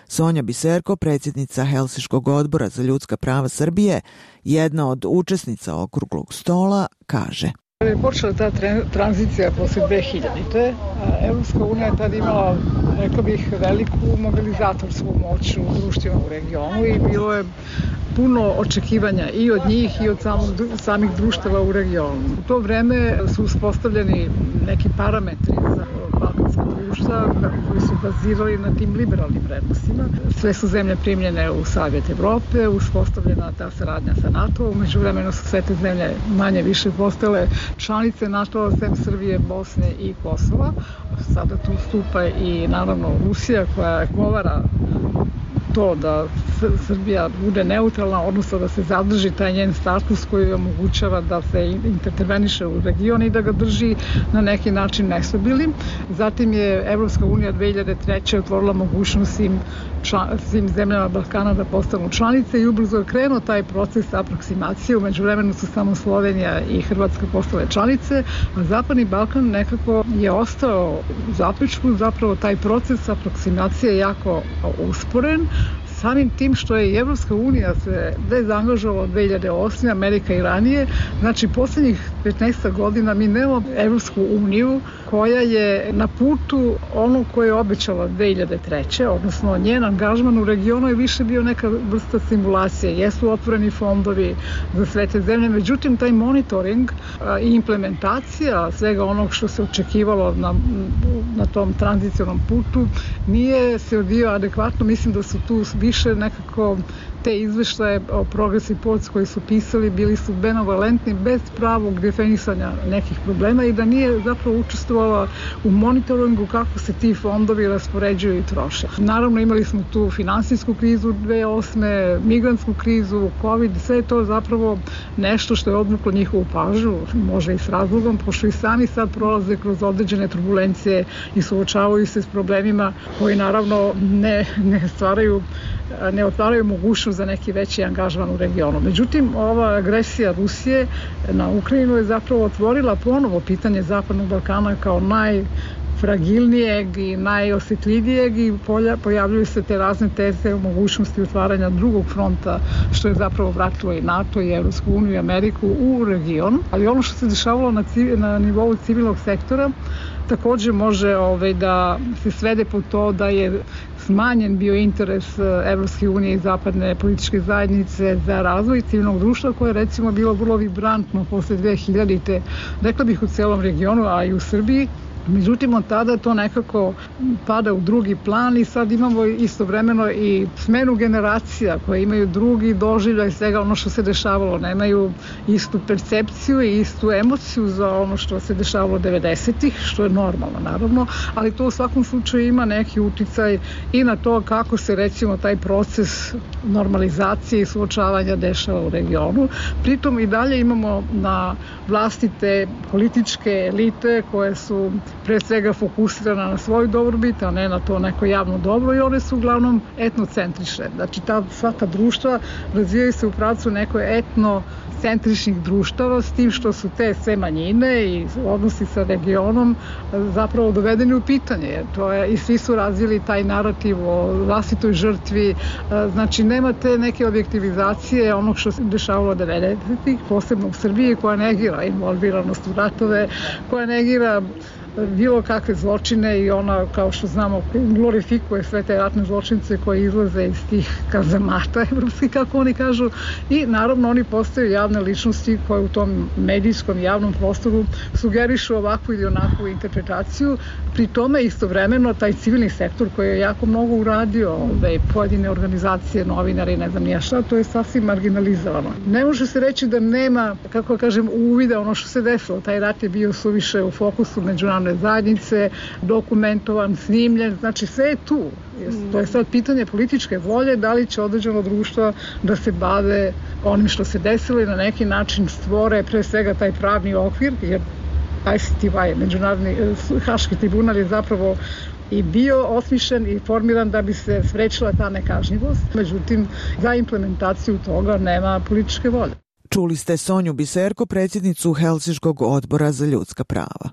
Sonja Biserko, predsjednica Helsinškog odbora za ljudska prava Srbije, jedna od učesnica okruglog stola, kaže: Kada je počela ta tranzicija posle 2000-te, Evropska unija je tada imala, rekla bih, veliku mobilizatorsku moć u društvima u regionu i bilo je puno očekivanja i od njih i od samih društava u regionu. U to vreme su uspostavljeni neki parametri za balkanska društva koji su bazirali na tim liberalnim vrednostima. Sve su zemlje primljene u Savjet Evrope, uspostavljena ta saradnja sa NATO, umeđu vremenu su sve te zemlje manje više postale članice NATO, sem Srbije, Bosne i Kosova. Sada tu stupa i naravno Rusija koja govara to da Srbija bude neutralna, odnosno da se zadrži taj njen status koji omogućava da se interveniše u region i da ga drži na neki način nestabilnim. Zatim je Evropska unija 2003. otvorila mogućnost svim zemljama Balkana da postanu članice i ubrzo je krenuo taj proces aproksimacije. Umeđu vremenu su samo Slovenija i Hrvatska postale članice, a Zapadni Balkan nekako je ostao u zapećku. Zapravo taj proces aproksimacije je jako usporen, samim tim što je i Evropska unija se dezangažovala 2008. Amerika i ranije. Znači, posljednjih 15 godina mi nemamo Evropsku uniju koja je na putu ono koje je obećala 2003. Odnosno, njen angažman u regionu je više bio neka vrsta simulacije. Jesu otvoreni fondovi za sve te zemlje, međutim, taj monitoring i implementacija svega onog što se očekivalo na tom tranzicionom putu nije se odvijao adekvatno. Mislim da su tu više nekako te izveštaje o Progress Reports koji su pisali bili su benevolentni bez pravog definisanja nekih problema i da nije zapravo učestvovala u monitoringu kako se ti fondovi raspoređuju i troše. Naravno, imali smo tu finansijsku krizu 2008. migrantsku krizu, COVID, sve je to zapravo nešto što je odvuklo njihovu pažnju, može i s razlogom, pošto i sami sad prolaze kroz određene turbulencije i suočavaju se s problemima koji naravno ne otvaraju mogućnost za neki veći angažman u regionu. Međutim, ova agresija Rusije na Ukrajinu je zapravo otvorila ponovo pitanje Zapadnog Balkana kao najfragilnijeg i najosjetljivijeg i pojavljuju se te razne teze o mogućnosti otvaranja drugog fronta, što je zapravo vratilo i NATO i Evropsku uniju i Ameriku u region. Ali ono što se dešavalo na nivou civilnog sektora također može da se svede po to da je smanjen bio interes Evropske unije i zapadne političke zajednice za razvoj civilnog društva koje je recimo bilo vrlo vibrantno posle 2000-te, rekla bih u celom regionu, a i u Srbiji. Međutim, od tada to nekako pada u drugi plan i sad imamo istovremeno i smenu generacija koje imaju drugi doživljaj svega ono što se dešavalo. Nemaju istu percepciju i istu emociju za ono što se dešavalo 90-ih, što je normalno naravno, ali to u svakom slučaju ima neki uticaj i na to kako se recimo taj proces normalizacije i suočavanja dešava u regionu. Pritom i dalje imamo na vlasti te političke elite koje su pre svega fokusirana na svoju dobrobit, a ne na to neko javno dobro i one su uglavnom etnocentrične. Znači sva ta društva razvijaju se u pravcu nekoj etnocentričnih društava s tim što su te sve manjine i odnosi sa regionom zapravo dovedeni u pitanje. Jer to je, i svi su razvili taj narativ o vlastitoj žrtvi. Znači nema te neke objektivizacije onog što se dešavalo 90-ih, posebno u Srbiji, koja negira involviranost u ratove, koja negira bilo kakve zločine i ona, kao što znamo, glorifikuje sve te ratne zločince koje izlaze iz tih kazamata evropskih, kako oni kažu, i naravno oni postaju javne ličnosti koje u tom medijskom javnom prostoru sugerišu ovakvu ili onakvu interpretaciju. Pri tome istovremeno taj civilni sektor koji je jako mnogo uradio, pojedine organizacije, novinari, ne znam nija šta, to je sasvim marginalizovano. Ne može se reći da nema, kako kažem, uvida ono što se desilo. Taj rat je bio suviše u fokusu međunarodne zajednice, dokumentovan, snimljen, znači sve je tu. To je sad pitanje političke volje, da li će određeno društvo da se bave onim što se desilo i na neki način stvore pre svega taj pravni okvir, jer ICTY, Međunarodni haški tribunal, je zapravo i bio osmišljen i formiran da bi se sprečila ta nekažnjivost. Međutim, za implementaciju toga nema političke volje. Čuli ste Sonju Biserko, predsjednicu Helsinškog odbora za ljudska prava.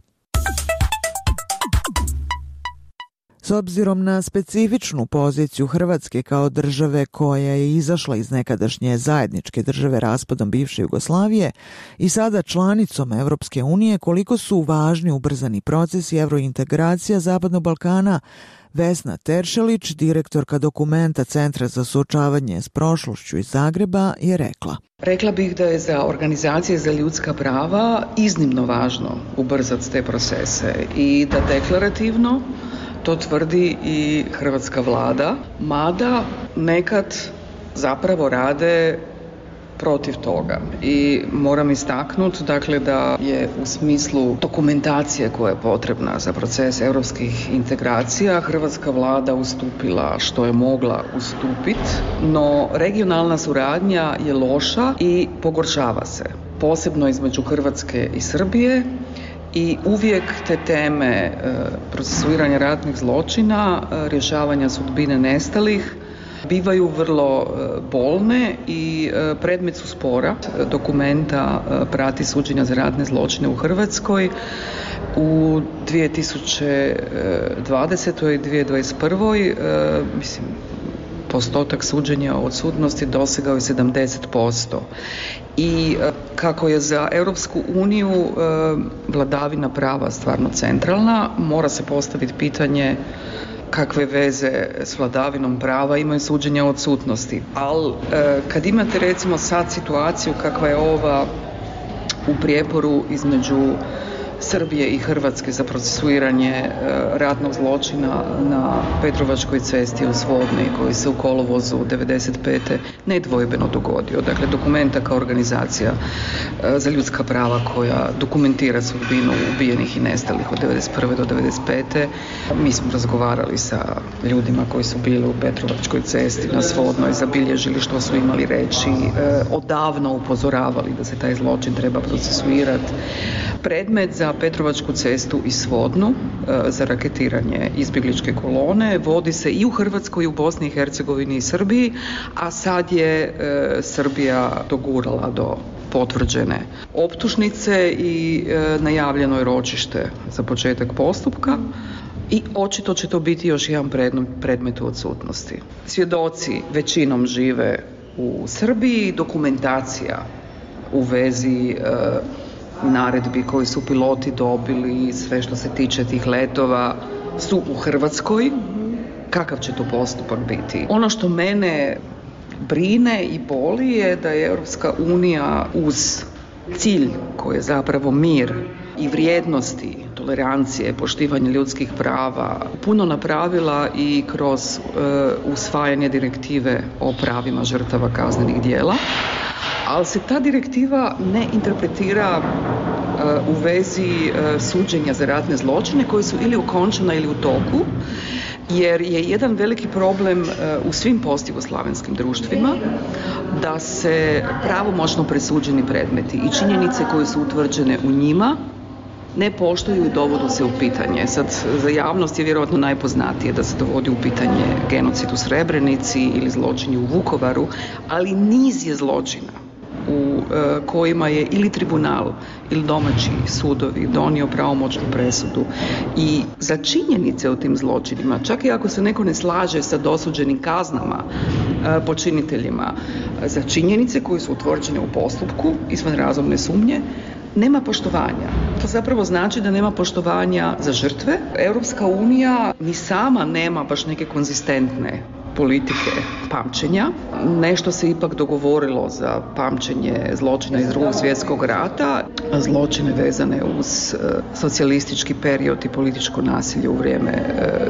S obzirom na specifičnu poziciju Hrvatske kao države koja je izašla iz nekadašnje zajedničke države raspadom bivše Jugoslavije i sada članicom Evropske unije, koliko su važni ubrzani procesi evrointegracija Zapadnog Balkana, Vesna Teršelić, direktorka dokumenta Centra za suočavanje s prošlošću iz Zagreba, je rekla. Rekla bih da je za organizacije za ljudska prava iznimno važno ubrzati te procese i da deklarativno to tvrdi i hrvatska vlada, mada nekad zapravo rade protiv toga. I moram istaknuti dakle, da je u smislu dokumentacije koja je potrebna za proces europskih integracija hrvatska vlada ustupila što je mogla ustupiti, no regionalna suradnja je loša i pogoršava se, posebno između Hrvatske i Srbije. I uvijek te teme procesuiranja ratnih zločina, rješavanja sudbine nestalih bivaju vrlo bolne i predmet su spora. Dokumenta prati suđenja za ratne zločine u Hrvatskoj. U 2020. i 2021. Postotak suđenja od odsutnosti dosegao je 70%. I kako je za Europsku uniju vladavina prava stvarno centralna, mora se postaviti pitanje kakve veze s vladavinom prava imaju suđenja o odsutnosti. Ali kad imate recimo sad situaciju kakva je ova u prijeporu između Srbije i Hrvatske za procesuiranje ratnog zločina na Petrovačkoj cesti u Svodni koji se u kolovozu 95. nedvojbeno dogodio. Dakle, dokumenta kao organizacija za ljudska prava koja dokumentira sudbinu ubijenih i nestalih od 91. do 95. Mi smo razgovarali sa ljudima koji su bili u Petrovačkoj cesti na Svodnoj, zabilježili što su imali reći, odavno upozoravali da se taj zločin treba procesuirati. Predmet za Petrovačku cestu i Svodnu za raketiranje izbjegličke kolone vodi se i u Hrvatskoj i u Bosni i Hercegovini i Srbiji, a sad je Srbija dogurala do potvrđene optužnice i najavljeno je ročište za početak postupka i očito će to biti još jedan predmet u odsutnosti. Svjedoci većinom žive u Srbiji, dokumentacija u vezi naredbi koji su piloti dobili, sve što se tiče tih letova su u Hrvatskoj. Kakav će to postupak biti? Ono što mene brine i boli je da je Europska unija uz cilj koji je zapravo mir i vrijednosti, tolerancije, poštivanje ljudskih prava puno napravila i kroz usvajanje direktive o pravima žrtava kaznenih djela, ali se ta direktiva ne interpretira u vezi suđenja za ratne zločine koji su ili okončana ili u toku, jer je jedan veliki problem u svim postjugoslavenskim društvima da se pravomoćno presuđeni predmeti i činjenice koje su utvrđene u njima ne poštuju i dovodu se u pitanje. Sad, za javnost je vjerojatno najpoznatije da se dovodi u pitanje genocid u Srebrenici ili zločini u Vukovaru, ali niz je zločina u kojima je ili tribunal ili domaći sudovi donio pravomoćnu presudu i za činjenice o tim zločinima, čak i ako se neko ne slaže sa dosuđenim kaznama počiniteljima, za činjenice koje su utvrđene u postupku izvan razumne sumnje, nema poštovanja. To zapravo znači da nema poštovanja za žrtve. Europska unija ni sama nema baš neke konzistentne politike pamćenja. Nešto se ipak dogovorilo za pamćenje zločina iz Drugog svjetskog rata, zločine vezane uz socijalistički period i političko nasilje u vrijeme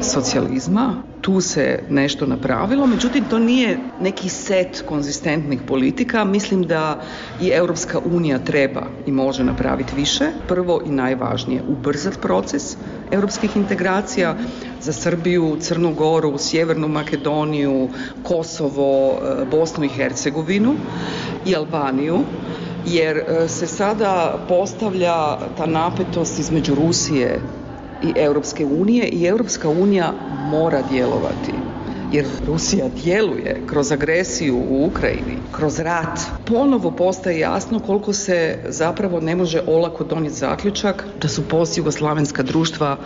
socijalizma. Tu se nešto napravilo, međutim to nije neki set konzistentnih politika. Mislim da i Europska unija treba i može napraviti više. Prvo i najvažnije, ubrzati proces europskih integracija za Srbiju, Crnu Goru, Sjevernu Makedoniju, Kosovo, Bosnu i Hercegovinu i Albaniju, jer se sada postavlja ta napetost između Rusije i Europske unije i Europska unija mora djelovati. Jer Rusija djeluje kroz agresiju u Ukrajini, kroz rat. Ponovo postaje jasno koliko se zapravo ne može olako donijeti zaključak da su postjugoslavenska društva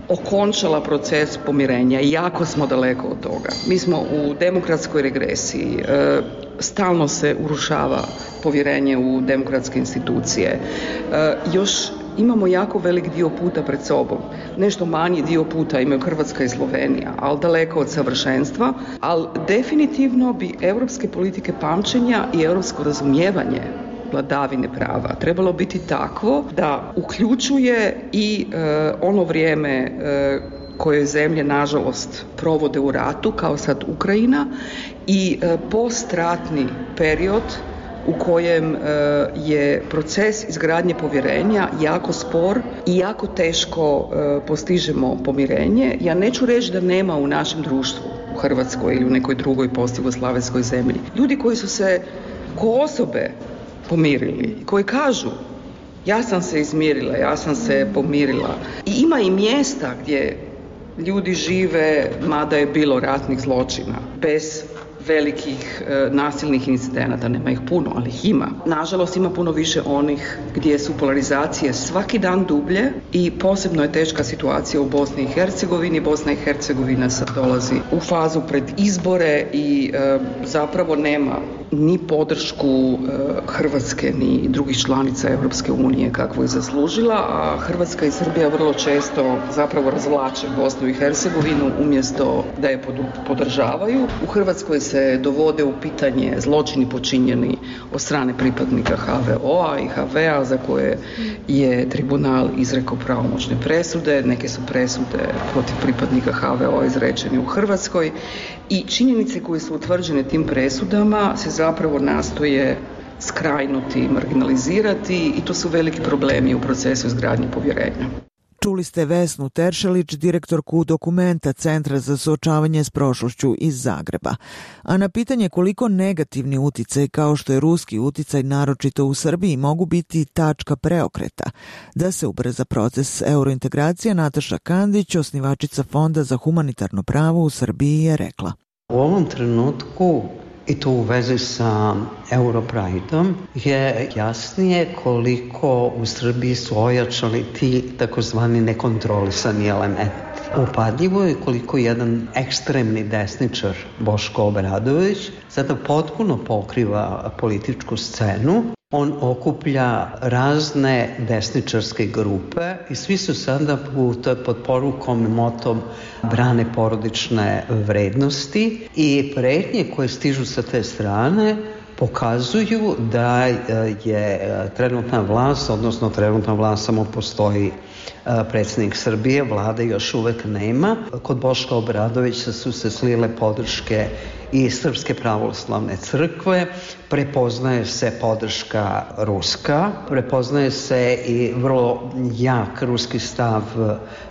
okončala proces pomirenja i jako smo daleko od toga. Mi smo u demokratskoj regresiji, stalno se urušava povjerenje u demokratske institucije. Još imamo jako velik dio puta pred sobom. Nešto manji dio puta imaju Hrvatska i Slovenija, ali daleko od savršenstva. Ali definitivno bi europske politike pamćenja i europsko razumijevanje vladavine prava trebalo biti takvo da uključuje i ono vrijeme koje zemlje nažalost provode u ratu, kao sad Ukrajina, i postratni period u kojem je proces izgradnje povjerenja jako spor i jako teško postižemo pomirenje. Ja neću reći da nema u našem društvu, u Hrvatskoj ili u nekoj drugoj postjugoslavenskoj zemlji, ljudi koji su se ko osobe pomirili, koji kažu ja sam se izmirila, ja sam se pomirila. I ima i mjesta gdje ljudi žive, mada je bilo ratnih zločina, bez velikih nasilnih incidenata, nema ih puno, ali ih ima. Nažalost ima puno više onih gdje su polarizacije svaki dan dublje i posebno je teška situacija u Bosni i Hercegovini. Bosna i Hercegovina sad dolazi u fazu pred izbore i zapravo nema ni podršku Hrvatske ni drugih članica Europske unije kakvu je zaslužila, a Hrvatska i Srbija vrlo često zapravo razvlače Bosnu i Hercegovinu umjesto da je podržavaju. U Hrvatskoj se dovode u pitanje zločini počinjeni od strane pripadnika HVO-a i HV-a za koje je tribunal izrekao pravomoćne presude. Neke su presude protiv pripadnika HVO-a izrečene u Hrvatskoj i činjenice koje su utvrđene tim presudama se zapravo nastoje skrajnuti, marginalizirati i to su veliki problemi u procesu izgradnje povjerenja. Čuli ste Vesnu Teršelić, direktorku Dokumenta Centra za suočavanje s prošlošću iz Zagreba. A na pitanje koliko negativni uticaj kao što je ruski uticaj naročito u Srbiji mogu biti tačka preokreta da se ubrza proces eurointegracije, Nataša Kandić, osnivačica Fonda za humanitarno pravo u Srbiji, je rekla: U ovom trenutku, i to u vezi sa Europrideom, je jasnije koliko u Srbiji su ojačali ti takozvani nekontrolisani elementi. Upadljivo je koliko jedan ekstremni desničar Boško Obradović sada potpuno pokriva političku scenu. On okuplja razne desničarske grupe i svi su sada pod porukom i motom brane porodične vrednosti i pretnje koje stižu sa te strane pokazuju da je trenutna vlast, odnosno trenutna vlast samo postoji predsjednik Srbije, vlade još uvek nema. Kod Boška Obradovića su se slile podrške i Srpske pravoslavne crkve, prepoznaje se podrška ruska, prepoznaje se i vrlo jak ruski stav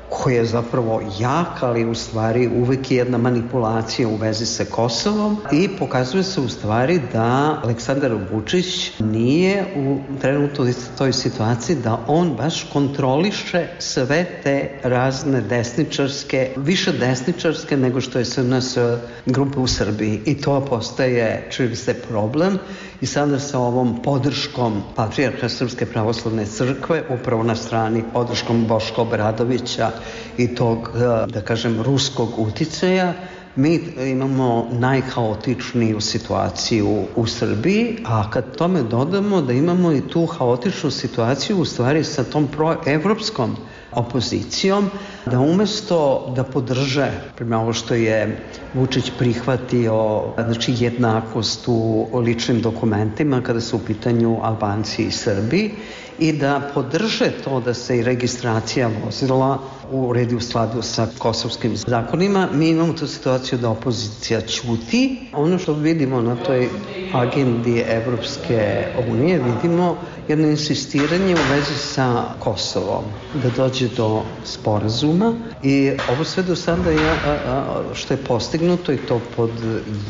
koji je zapravo jak, ali u stvari uvek je jedna manipulacija u vezi sa Kosovom i pokazuje se u stvari da Aleksandar Vučić nije u trenutno toj situaciji da on baš kontroliše sve te razne desničarske, više desničarske nego što je SNS grupa u Srbiji i to postaje čini se problem i sada sa ovom podrškom patrijarha Srpske pravoslavne crkve upravo na strani podrškom Boška Obradovića i tog, da kažem, ruskog uticaja, mi imamo najhaotičniju situaciju u Srbiji, a kad tome dodamo da imamo i tu haotičnu situaciju u stvari sa tom proevropskom opozicijom, da umesto da podrže prema ovo što je Vučić prihvatio, znači jednakost u ličnim dokumentima kada su u pitanju Albanci i Srbi i da podrže to da se i registracija vozila uredi u skladu sa kosovskim zakonima, mi imamo tu situaciju da opozicija ćuti. Ono što vidimo na toj agendi Evropske unije, vidimo jedno insistiranje u vezi sa Kosovom, da dođe do sporazuma i ovo sve do sada što je postignuto i to pod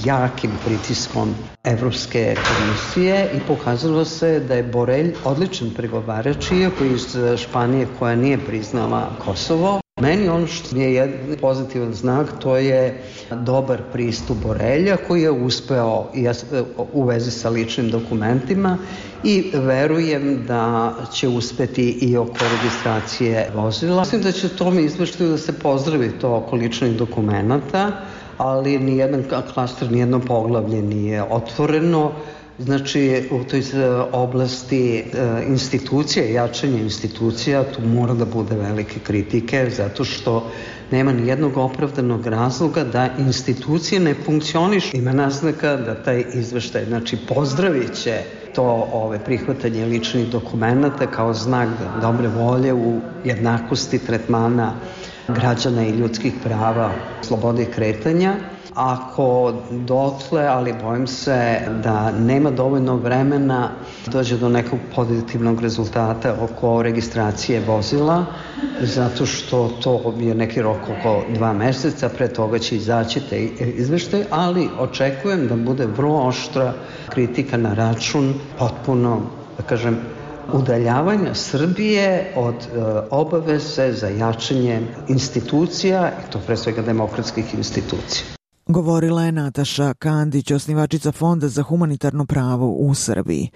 jakim pritiskom Evropske komisije i pokazalo se da je Borelj odličan pregovarač, iako iz Španije koja nije priznala Kosovo. Meni ono što je jedan pozitivan znak, to je dobar pristup Borelja koji je uspeo u vezi sa ličnim dokumentima i verujem da će uspeti i oko registracije vozila. Mislim da će tome izveštaju da se pozdravi to oko ličnih dokumenta, ali nijedan klaster, nijedno poglavlje nije otvoreno. Znači, u toj oblasti institucije, jačanje institucija, tu mora da bude velike kritike, zato što nema ni jednog opravdanog razloga da institucije ne funkcionišu. Ima naznaka da taj izveštaj, znači pozdravit će to prihvatanje ličnih dokumenta kao znak dobre volje u jednakosti tretmana građana i ljudskih prava, slobode kretanja. Ako dotle, ali bojim se da nema dovoljno vremena dođe do nekog pozitivnog rezultata oko registracije vozila, zato što to je neki rok oko 2 meseca, pre toga će izaći te izveštaj, ali očekujem da bude vrlo oštra kritika na račun potpuno, da kažem, udaljavanja Srbije od obaveze za jačanje institucija, i to pre svega demokratskih institucija. Govorila je Nataša Kandić, osnivačica Fonda za humanitarno pravo u Srbiji.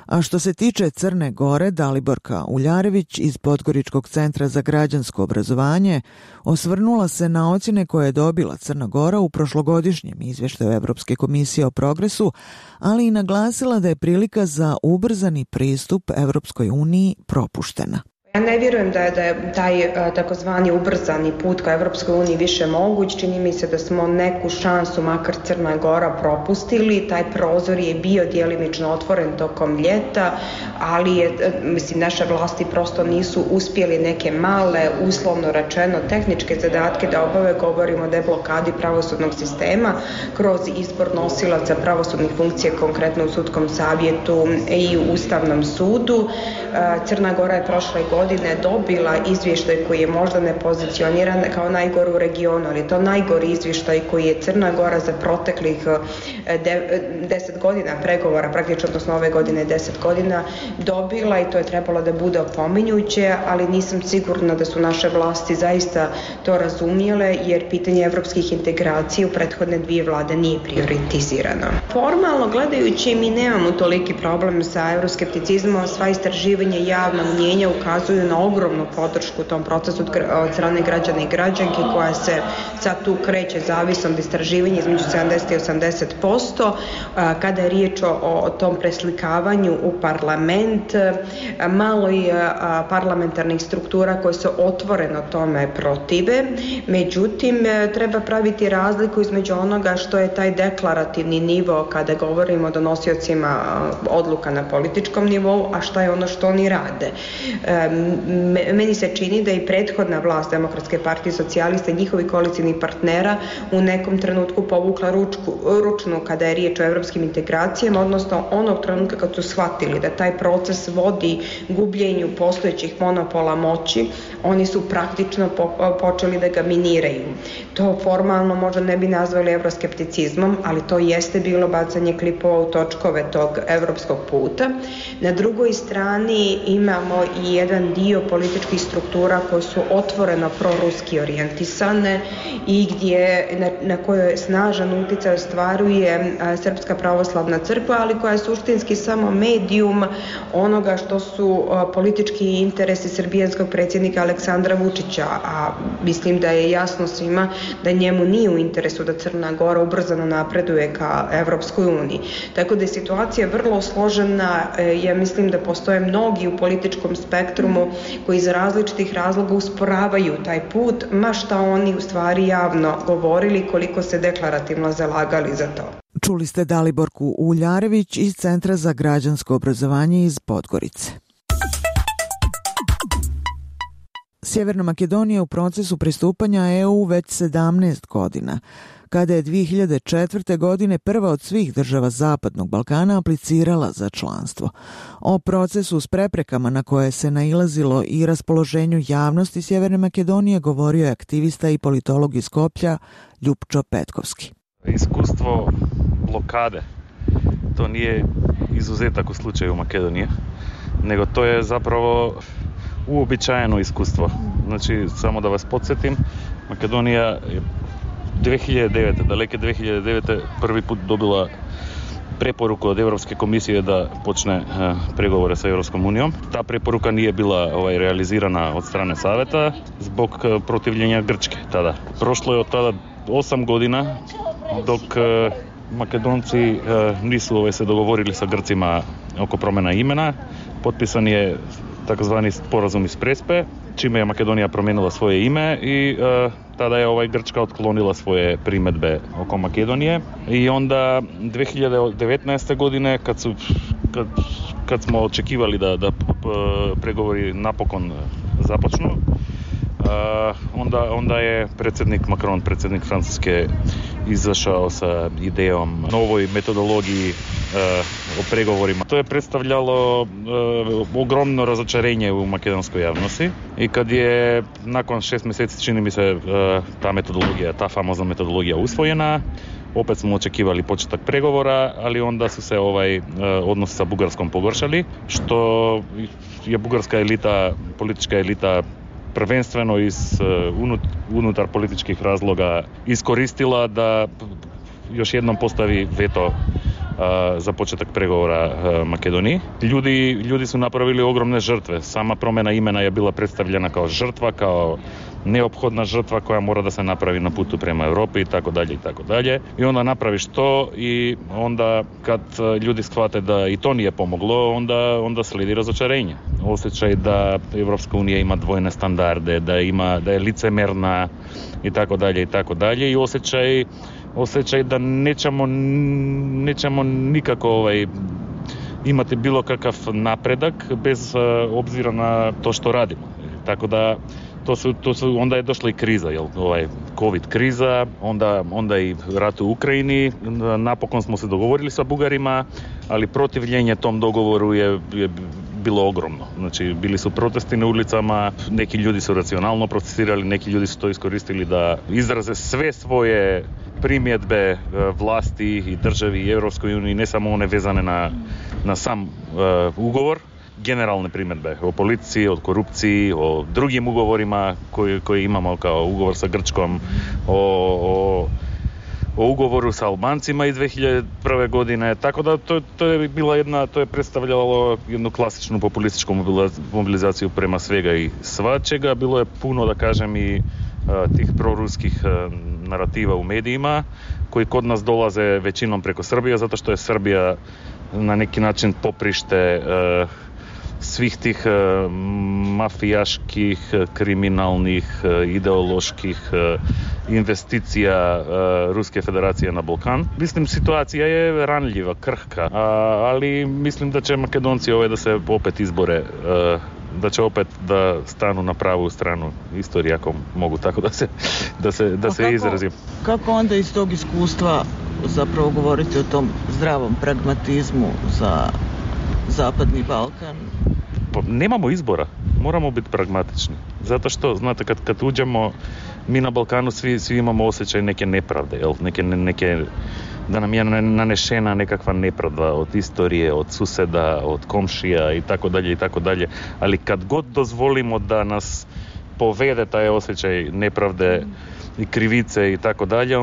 A što se tiče Crne Gore, Daliborka Uljarević iz Podgoričkog centra za građansko obrazovanje osvrnula se na ocjene koje je dobila Crna Gora u prošlogodišnjem izvještaju Evropske komisije o progresu, ali i naglasila da je prilika za ubrzani pristup Evropskoj uniji propuštena. Ja ne vjerujem da je taj takozvani ubrzani put ka Evropskoj uniji više moguć. Čini mi se da smo neku šansu, makar Crna Gora, propustili. Taj prozor je bio djelimično otvoren tokom ljeta, ali naše vlasti prosto nisu uspjeli neke male, uslovno rečeno, tehničke zadatke da obave. Govorimo o deblokadi pravosudnog sistema kroz izbor nosilaca pravosudnih funkcija, konkretno u sudskom savjetu i u Ustavnom sudu. Crna Gora je prošle godine dobila izvještaj koji je možda ne pozicioniran kao najgore u regionu, ali je to najgori izvještaj koji je Crna Gora za proteklih 10 godina pregovora, praktično odnosno ove godine 10 godina dobila, i to je trebalo da bude opominjuće, ali nisam sigurna da su naše vlasti zaista to razumjele, jer pitanje evropskih integracija u prethodne 2 vlade nije prioritizirano. Formalno gledajući, mi nemamo toliki problem sa euroskepticizmom, sva istraživanja javnog mnjenja ukazuju ukazuju na ogromnu podršku u tom procesu od strane građana i građanki, koja se sad tu kreće zavisno od istraživanja između 70 i 80%. Kada je riječ o tom preslikavanju u parlament, malo je parlamentarnih struktura koje se otvoreno tome protive. Međutim, treba praviti razliku između onoga što je taj deklarativni nivo kada govorimo o donosiocima odluka na političkom nivou, a šta je ono što oni rade. Meni se čini da i prethodna vlast Demokratske partije socijalista i njihovi koalicijnih partnera u nekom trenutku povukla ručnu kada je riječ o evropskim integracijama, odnosno onog trenutka kad su shvatili da taj proces vodi gubljenju postojećih monopola moći, oni su praktično počeli da ga miniraju. To formalno možda ne bi nazvali evroskepticizmom, ali to jeste bilo bacanje klipova u točkove tog evropskog puta. Na drugoj strani imamo i jedan dio političkih struktura koje su otvoreno proruski orijentisane i gdje na kojoj snažan utjecaj ostvaruje Srpska pravoslavna crkva, ali koja je suštinski samo medijum onoga što su politički interesi srbijanskog predsjednika Aleksandra Vučića, a mislim da je jasno svima da njemu nije u interesu da Crna Gora ubrzano napreduje ka Evropskoj uniji. Tako da je situacija vrlo složena. Ja mislim da postoje mnogi u političkom spektrumu koji iz različitih razloga usporavaju taj put, ma šta oni u stvari javno govorili, koliko se deklarativno zalagali za to. Čuli ste Daliborku Uljarević iz Centra za građansko obrazovanje iz Podgorice. Sjeverna Makedonija je u procesu pristupanja EU već 17 godina. Kada je 2004. godine prva od svih država Zapadnog Balkana aplicirala za članstvo. O procesu s preprekama na koje se nailazilo i raspoloženju javnosti Sjeverne Makedonije govorio je aktivista i politolog iz Skoplja Ljupčo Petkovski. Iskustvo blokade, to nije izuzetak u slučaju Makedonije, nego to je zapravo uobičajeno iskustvo. Znači, samo da vas podsjetim, Makedonija je 2009. daleke 2009. prvi put dobila preporuku od Europske komisije da počne pregovore sa Europskom unijom. Ta preporuka nije bila realizirana od strane saveta zbog protivljenja Grčke tada. Prošlo je od tada 8 godina dok Makedonci nisu se dogovorili sa Grcima oko promjena imena. Potpisan je takozvani sporazum iz Prespe, čime je Makedonija promijenila svoje ime i tada je Grčka otklonila svoje primjedbe oko Makedonije. I onda 2019. godine kad smo očekivali da pregovori napokon započnu, onda je predsjednik Macron, predsjednik Francuske, izašao sa idejom novoj metodologiji o pregovorima. To je predstavljalo ogromno razočarenje u makedonskoj javnosti i kad je nakon 6 mjeseci, čini mi se, ta famozna metodologija usvojena, opet smo očekivali početak pregovora, ali onda su se odnos sa Bugarskom pogoršali, što je bugarska elita, politička elita, prvenstveno unutar političkih razloga iskoristila da još jednom postavi veto za početak pregovora Makedoniji. Ljudi su napravili ogromne žrtve. Sama promjena imena je bila predstavljena kao žrtva, kao neophodna žrtva koja mora da se napravi na putu prema Europi i tako dalje i tako dalje. I onda napraviš to i onda kad ljudi shvate da i to nije pomoglo, onda slijedi razočarenje. Osjećaj da Evropska unija ima dvojne standarde, da je licemerna i tako dalje i tako dalje, i osjećaj da nećemo nikako imati bilo kakav napredak bez obzira na to što radimo. Tako da onda je došla i kriza, COVID kriza, onda i rat u Ukrajini. Napokon smo se dogovorili sa Bugarima, ali protivljenje tom dogovoru je bilo ogromno. Znači, bili su protesti na ulicama, neki ljudi su racionalno protestirali, neki ljudi su to iskoristili da izraze sve svoje primjedbe vlasti i državi i Europskoj uniji, ne samo one vezane na sam ugovor, generalne primjedbe o policiji, o korupciji, o drugim ugovorima koje imamo kao ugovor sa Grčkom, o o ugovoru sa Albancima iz 2001. godine, tako da to je predstavljalo jednu klasičnu populističku mobilizaciju prema svega i svačega. Bilo je puno, da kažem, i tih proruskih narativa u medijima koji kod nas dolaze većinom preko Srbije, zato što je Srbija na neki način poprište svih tih mafijaških, kriminalnih, ideoloških investicija Ruske federacije na Balkan. Mislim, situacija je ranljiva, krhka, ali mislim da će Makedonci da se opet izbore, da će opet da stanu na pravu stranu istorije, ako mogu tako da se izrazim. Kako onda iz tog iskustva zapravo govoriti o tom zdravom pragmatizmu za Zapadni Balkan? Pa nemamo izbora, moramo biti pragmatični. Zato što, znate, kad uđemo, mi na Balkanu svi imamo osjećaj neke nepravde, jel? Neke, da nam je nanešena nekakva nepravda od istorije, od suseda, od komšija i tako dalje. Ali kad god dozvolimo da nas povede taj osjećaj nepravde i krivice i tako dalje,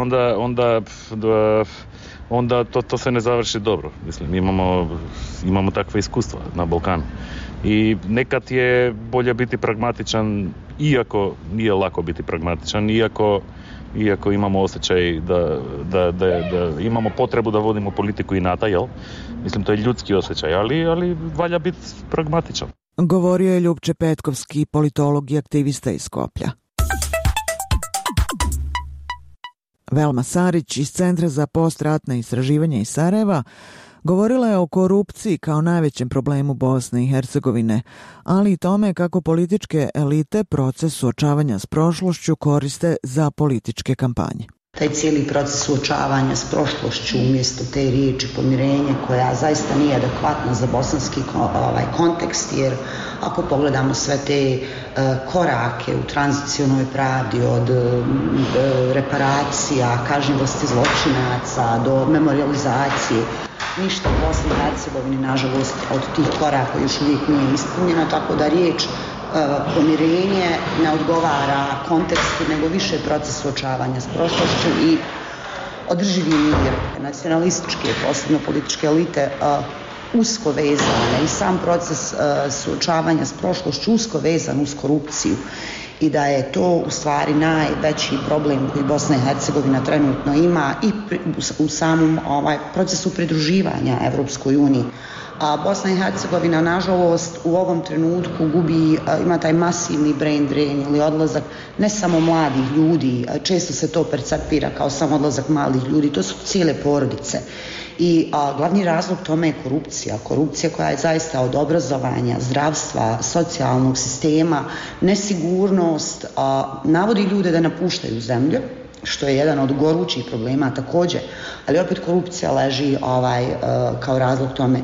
onda to se ne završi dobro. Mislim, imamo takve iskustva na Balkanu. I nekad je bolje biti pragmatičan, iako nije lako biti pragmatičan, iako imamo osjećaj da imamo potrebu da vodimo politiku inata, jel? Mislim, to je ljudski osjećaj, ali valja biti pragmatičan. Govorio je Ljupče Petkovski, politolog i aktivista iz Skoplja. Velma Sarić iz Centra za postratna istraživanja iz Sarajeva govorila je o korupciji kao najvećem problemu Bosne i Hercegovine, ali i tome kako političke elite proces suočavanja s prošlošću koriste za političke kampanje. Taj cijeli proces suočavanja s prošlošću umjesto te riječi pomirenje, koja zaista nije adekvatna za bosanski kontekst, jer ako pogledamo sve te korake u tranzicionoj pravdi, od reparacija, kažnjivosti zločinaca do memorializacije, ništa u Bosni i Hercegovini, nažalost, od tih koraka još uvijek nije ispunjeno, tako da riječ pomirenje ne odgovara kontekstu, nego više proces suočavanja s prošlošću i održivi mir. Nacionalističke, posebno političke elite, usko vezane i sam proces suočavanja s prošlošću usko vezan uz korupciju i da je to u stvari najveći problem koji Bosna i Hercegovina trenutno ima i u samom procesu pridruživanja Evropskoj uniji. A Bosna i Hercegovina, nažalost, u ovom trenutku ima taj masivni brain drain ili odlazak ne samo mladih ljudi, često se to percepira kao samo odlazak mladih ljudi, to su cijele porodice. I glavni razlog tome je korupcija koja je zaista od obrazovanja, zdravstva, socijalnog sistema, nesigurnost, navodi ljude da napuštaju zemlju, što je jedan od gorućih problema također, ali opet korupcija leži kao razlog tome.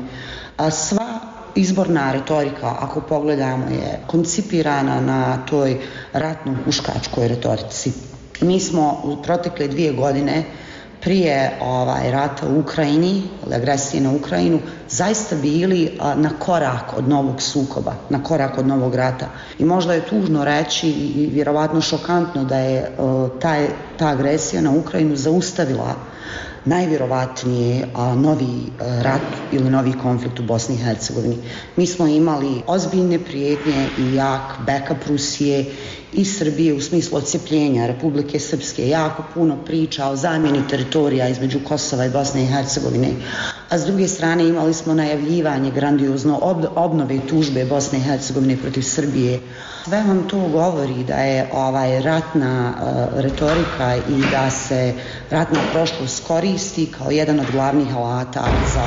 Sva izborna retorika, ako pogledamo, je koncipirana na toj ratno-huškačkoj retorici. Mi smo u protekle 2 godine prije rata u Ukrajini, agresije na Ukrajinu, zaista bili na korak od novog sukoba, na korak od novog rata. I možda je tužno reći i vjerovatno šokantno da je ta agresija na Ukrajinu zaustavila najvjerovatnije novi rat ili novi konflikt u Bosni i Hercegovini. Mi smo imali ozbiljne prijetnje i jak backup Rusije i Srbije u smislu odcepljenja Republike Srpske, jako puno priča o zamjeni teritorija između Kosova i Bosne i Hercegovine, a s druge strane imali smo najavljivanje grandiozno obnove tužbe Bosne i Hercegovine protiv Srbije. Sve vam to govori da je ratna retorika i da se ratna prošlost koristi kao jedan od glavnih alata za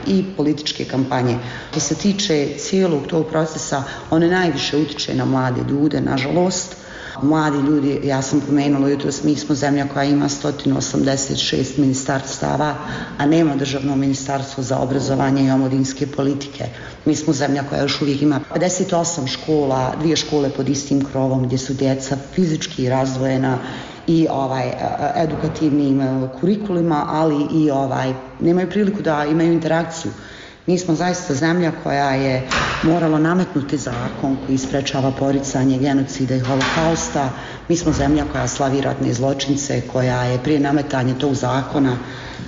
i političke kampanje. Što se tiče cijelog tog procesa, one najviše utiče na mlade ljude, nažalost. Mladi ljudi, ja sam pomenula jutros, mi smo zemlja koja ima 186 ministarstava, a nema državno ministarstvo za obrazovanje i omladinske politike. Mi smo zemlja koja još uvijek ima 58 škola, 2 škole pod istim krovom gdje su djeca fizički razdvojena i edukativnim kurikulima, ali i nemaju priliku da imaju interakciju Mi smo zaista zemlja koja je morala nametnuti zakon koji sprečava poricanje genocida i holokausta. Mi smo zemlja koja slavi ratne zločince, koja je prije nametanja tog zakona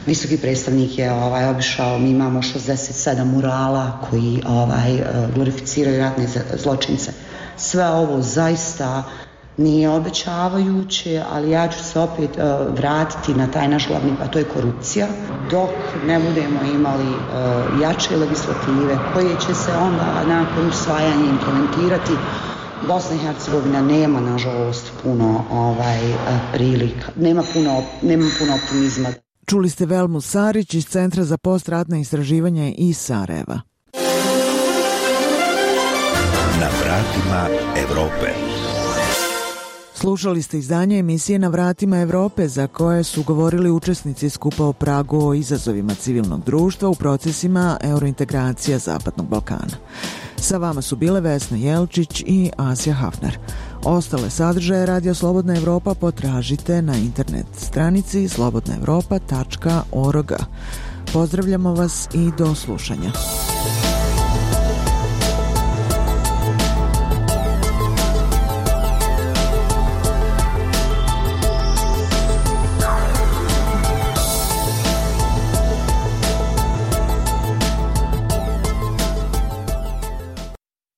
visoki predstavnik je obišao, mi imamo 67 murala koji glorificiraju ratne zločince. Sve ovo zaista nije obećavajuće, ali ja ću se opet vratiti na taj naš glavni, a to je korupcija. Dok ne budemo imali jače legislative koje će se onda nakon usvajanja implementirati, Bosna i Hercegovina nema, nažalost, puno prilika, nema puno optimizma. Čuli ste Velmu Sarić iz Centra za postratna istraživanja iz Sarajeva. Na vratima Evrope. Slušali ste izdanje emisije Na vratima Evrope za koje su govorili učesnici skupa o Pragu o izazovima civilnog društva u procesima eurointegracija Zapadnog Balkana. Sa vama su bile Vesna Jelčić i Asja Hafner. Ostale sadržaje Radio Slobodna Evropa potražite na internet stranici slobodnaevropa.org. Pozdravljamo vas i do slušanja.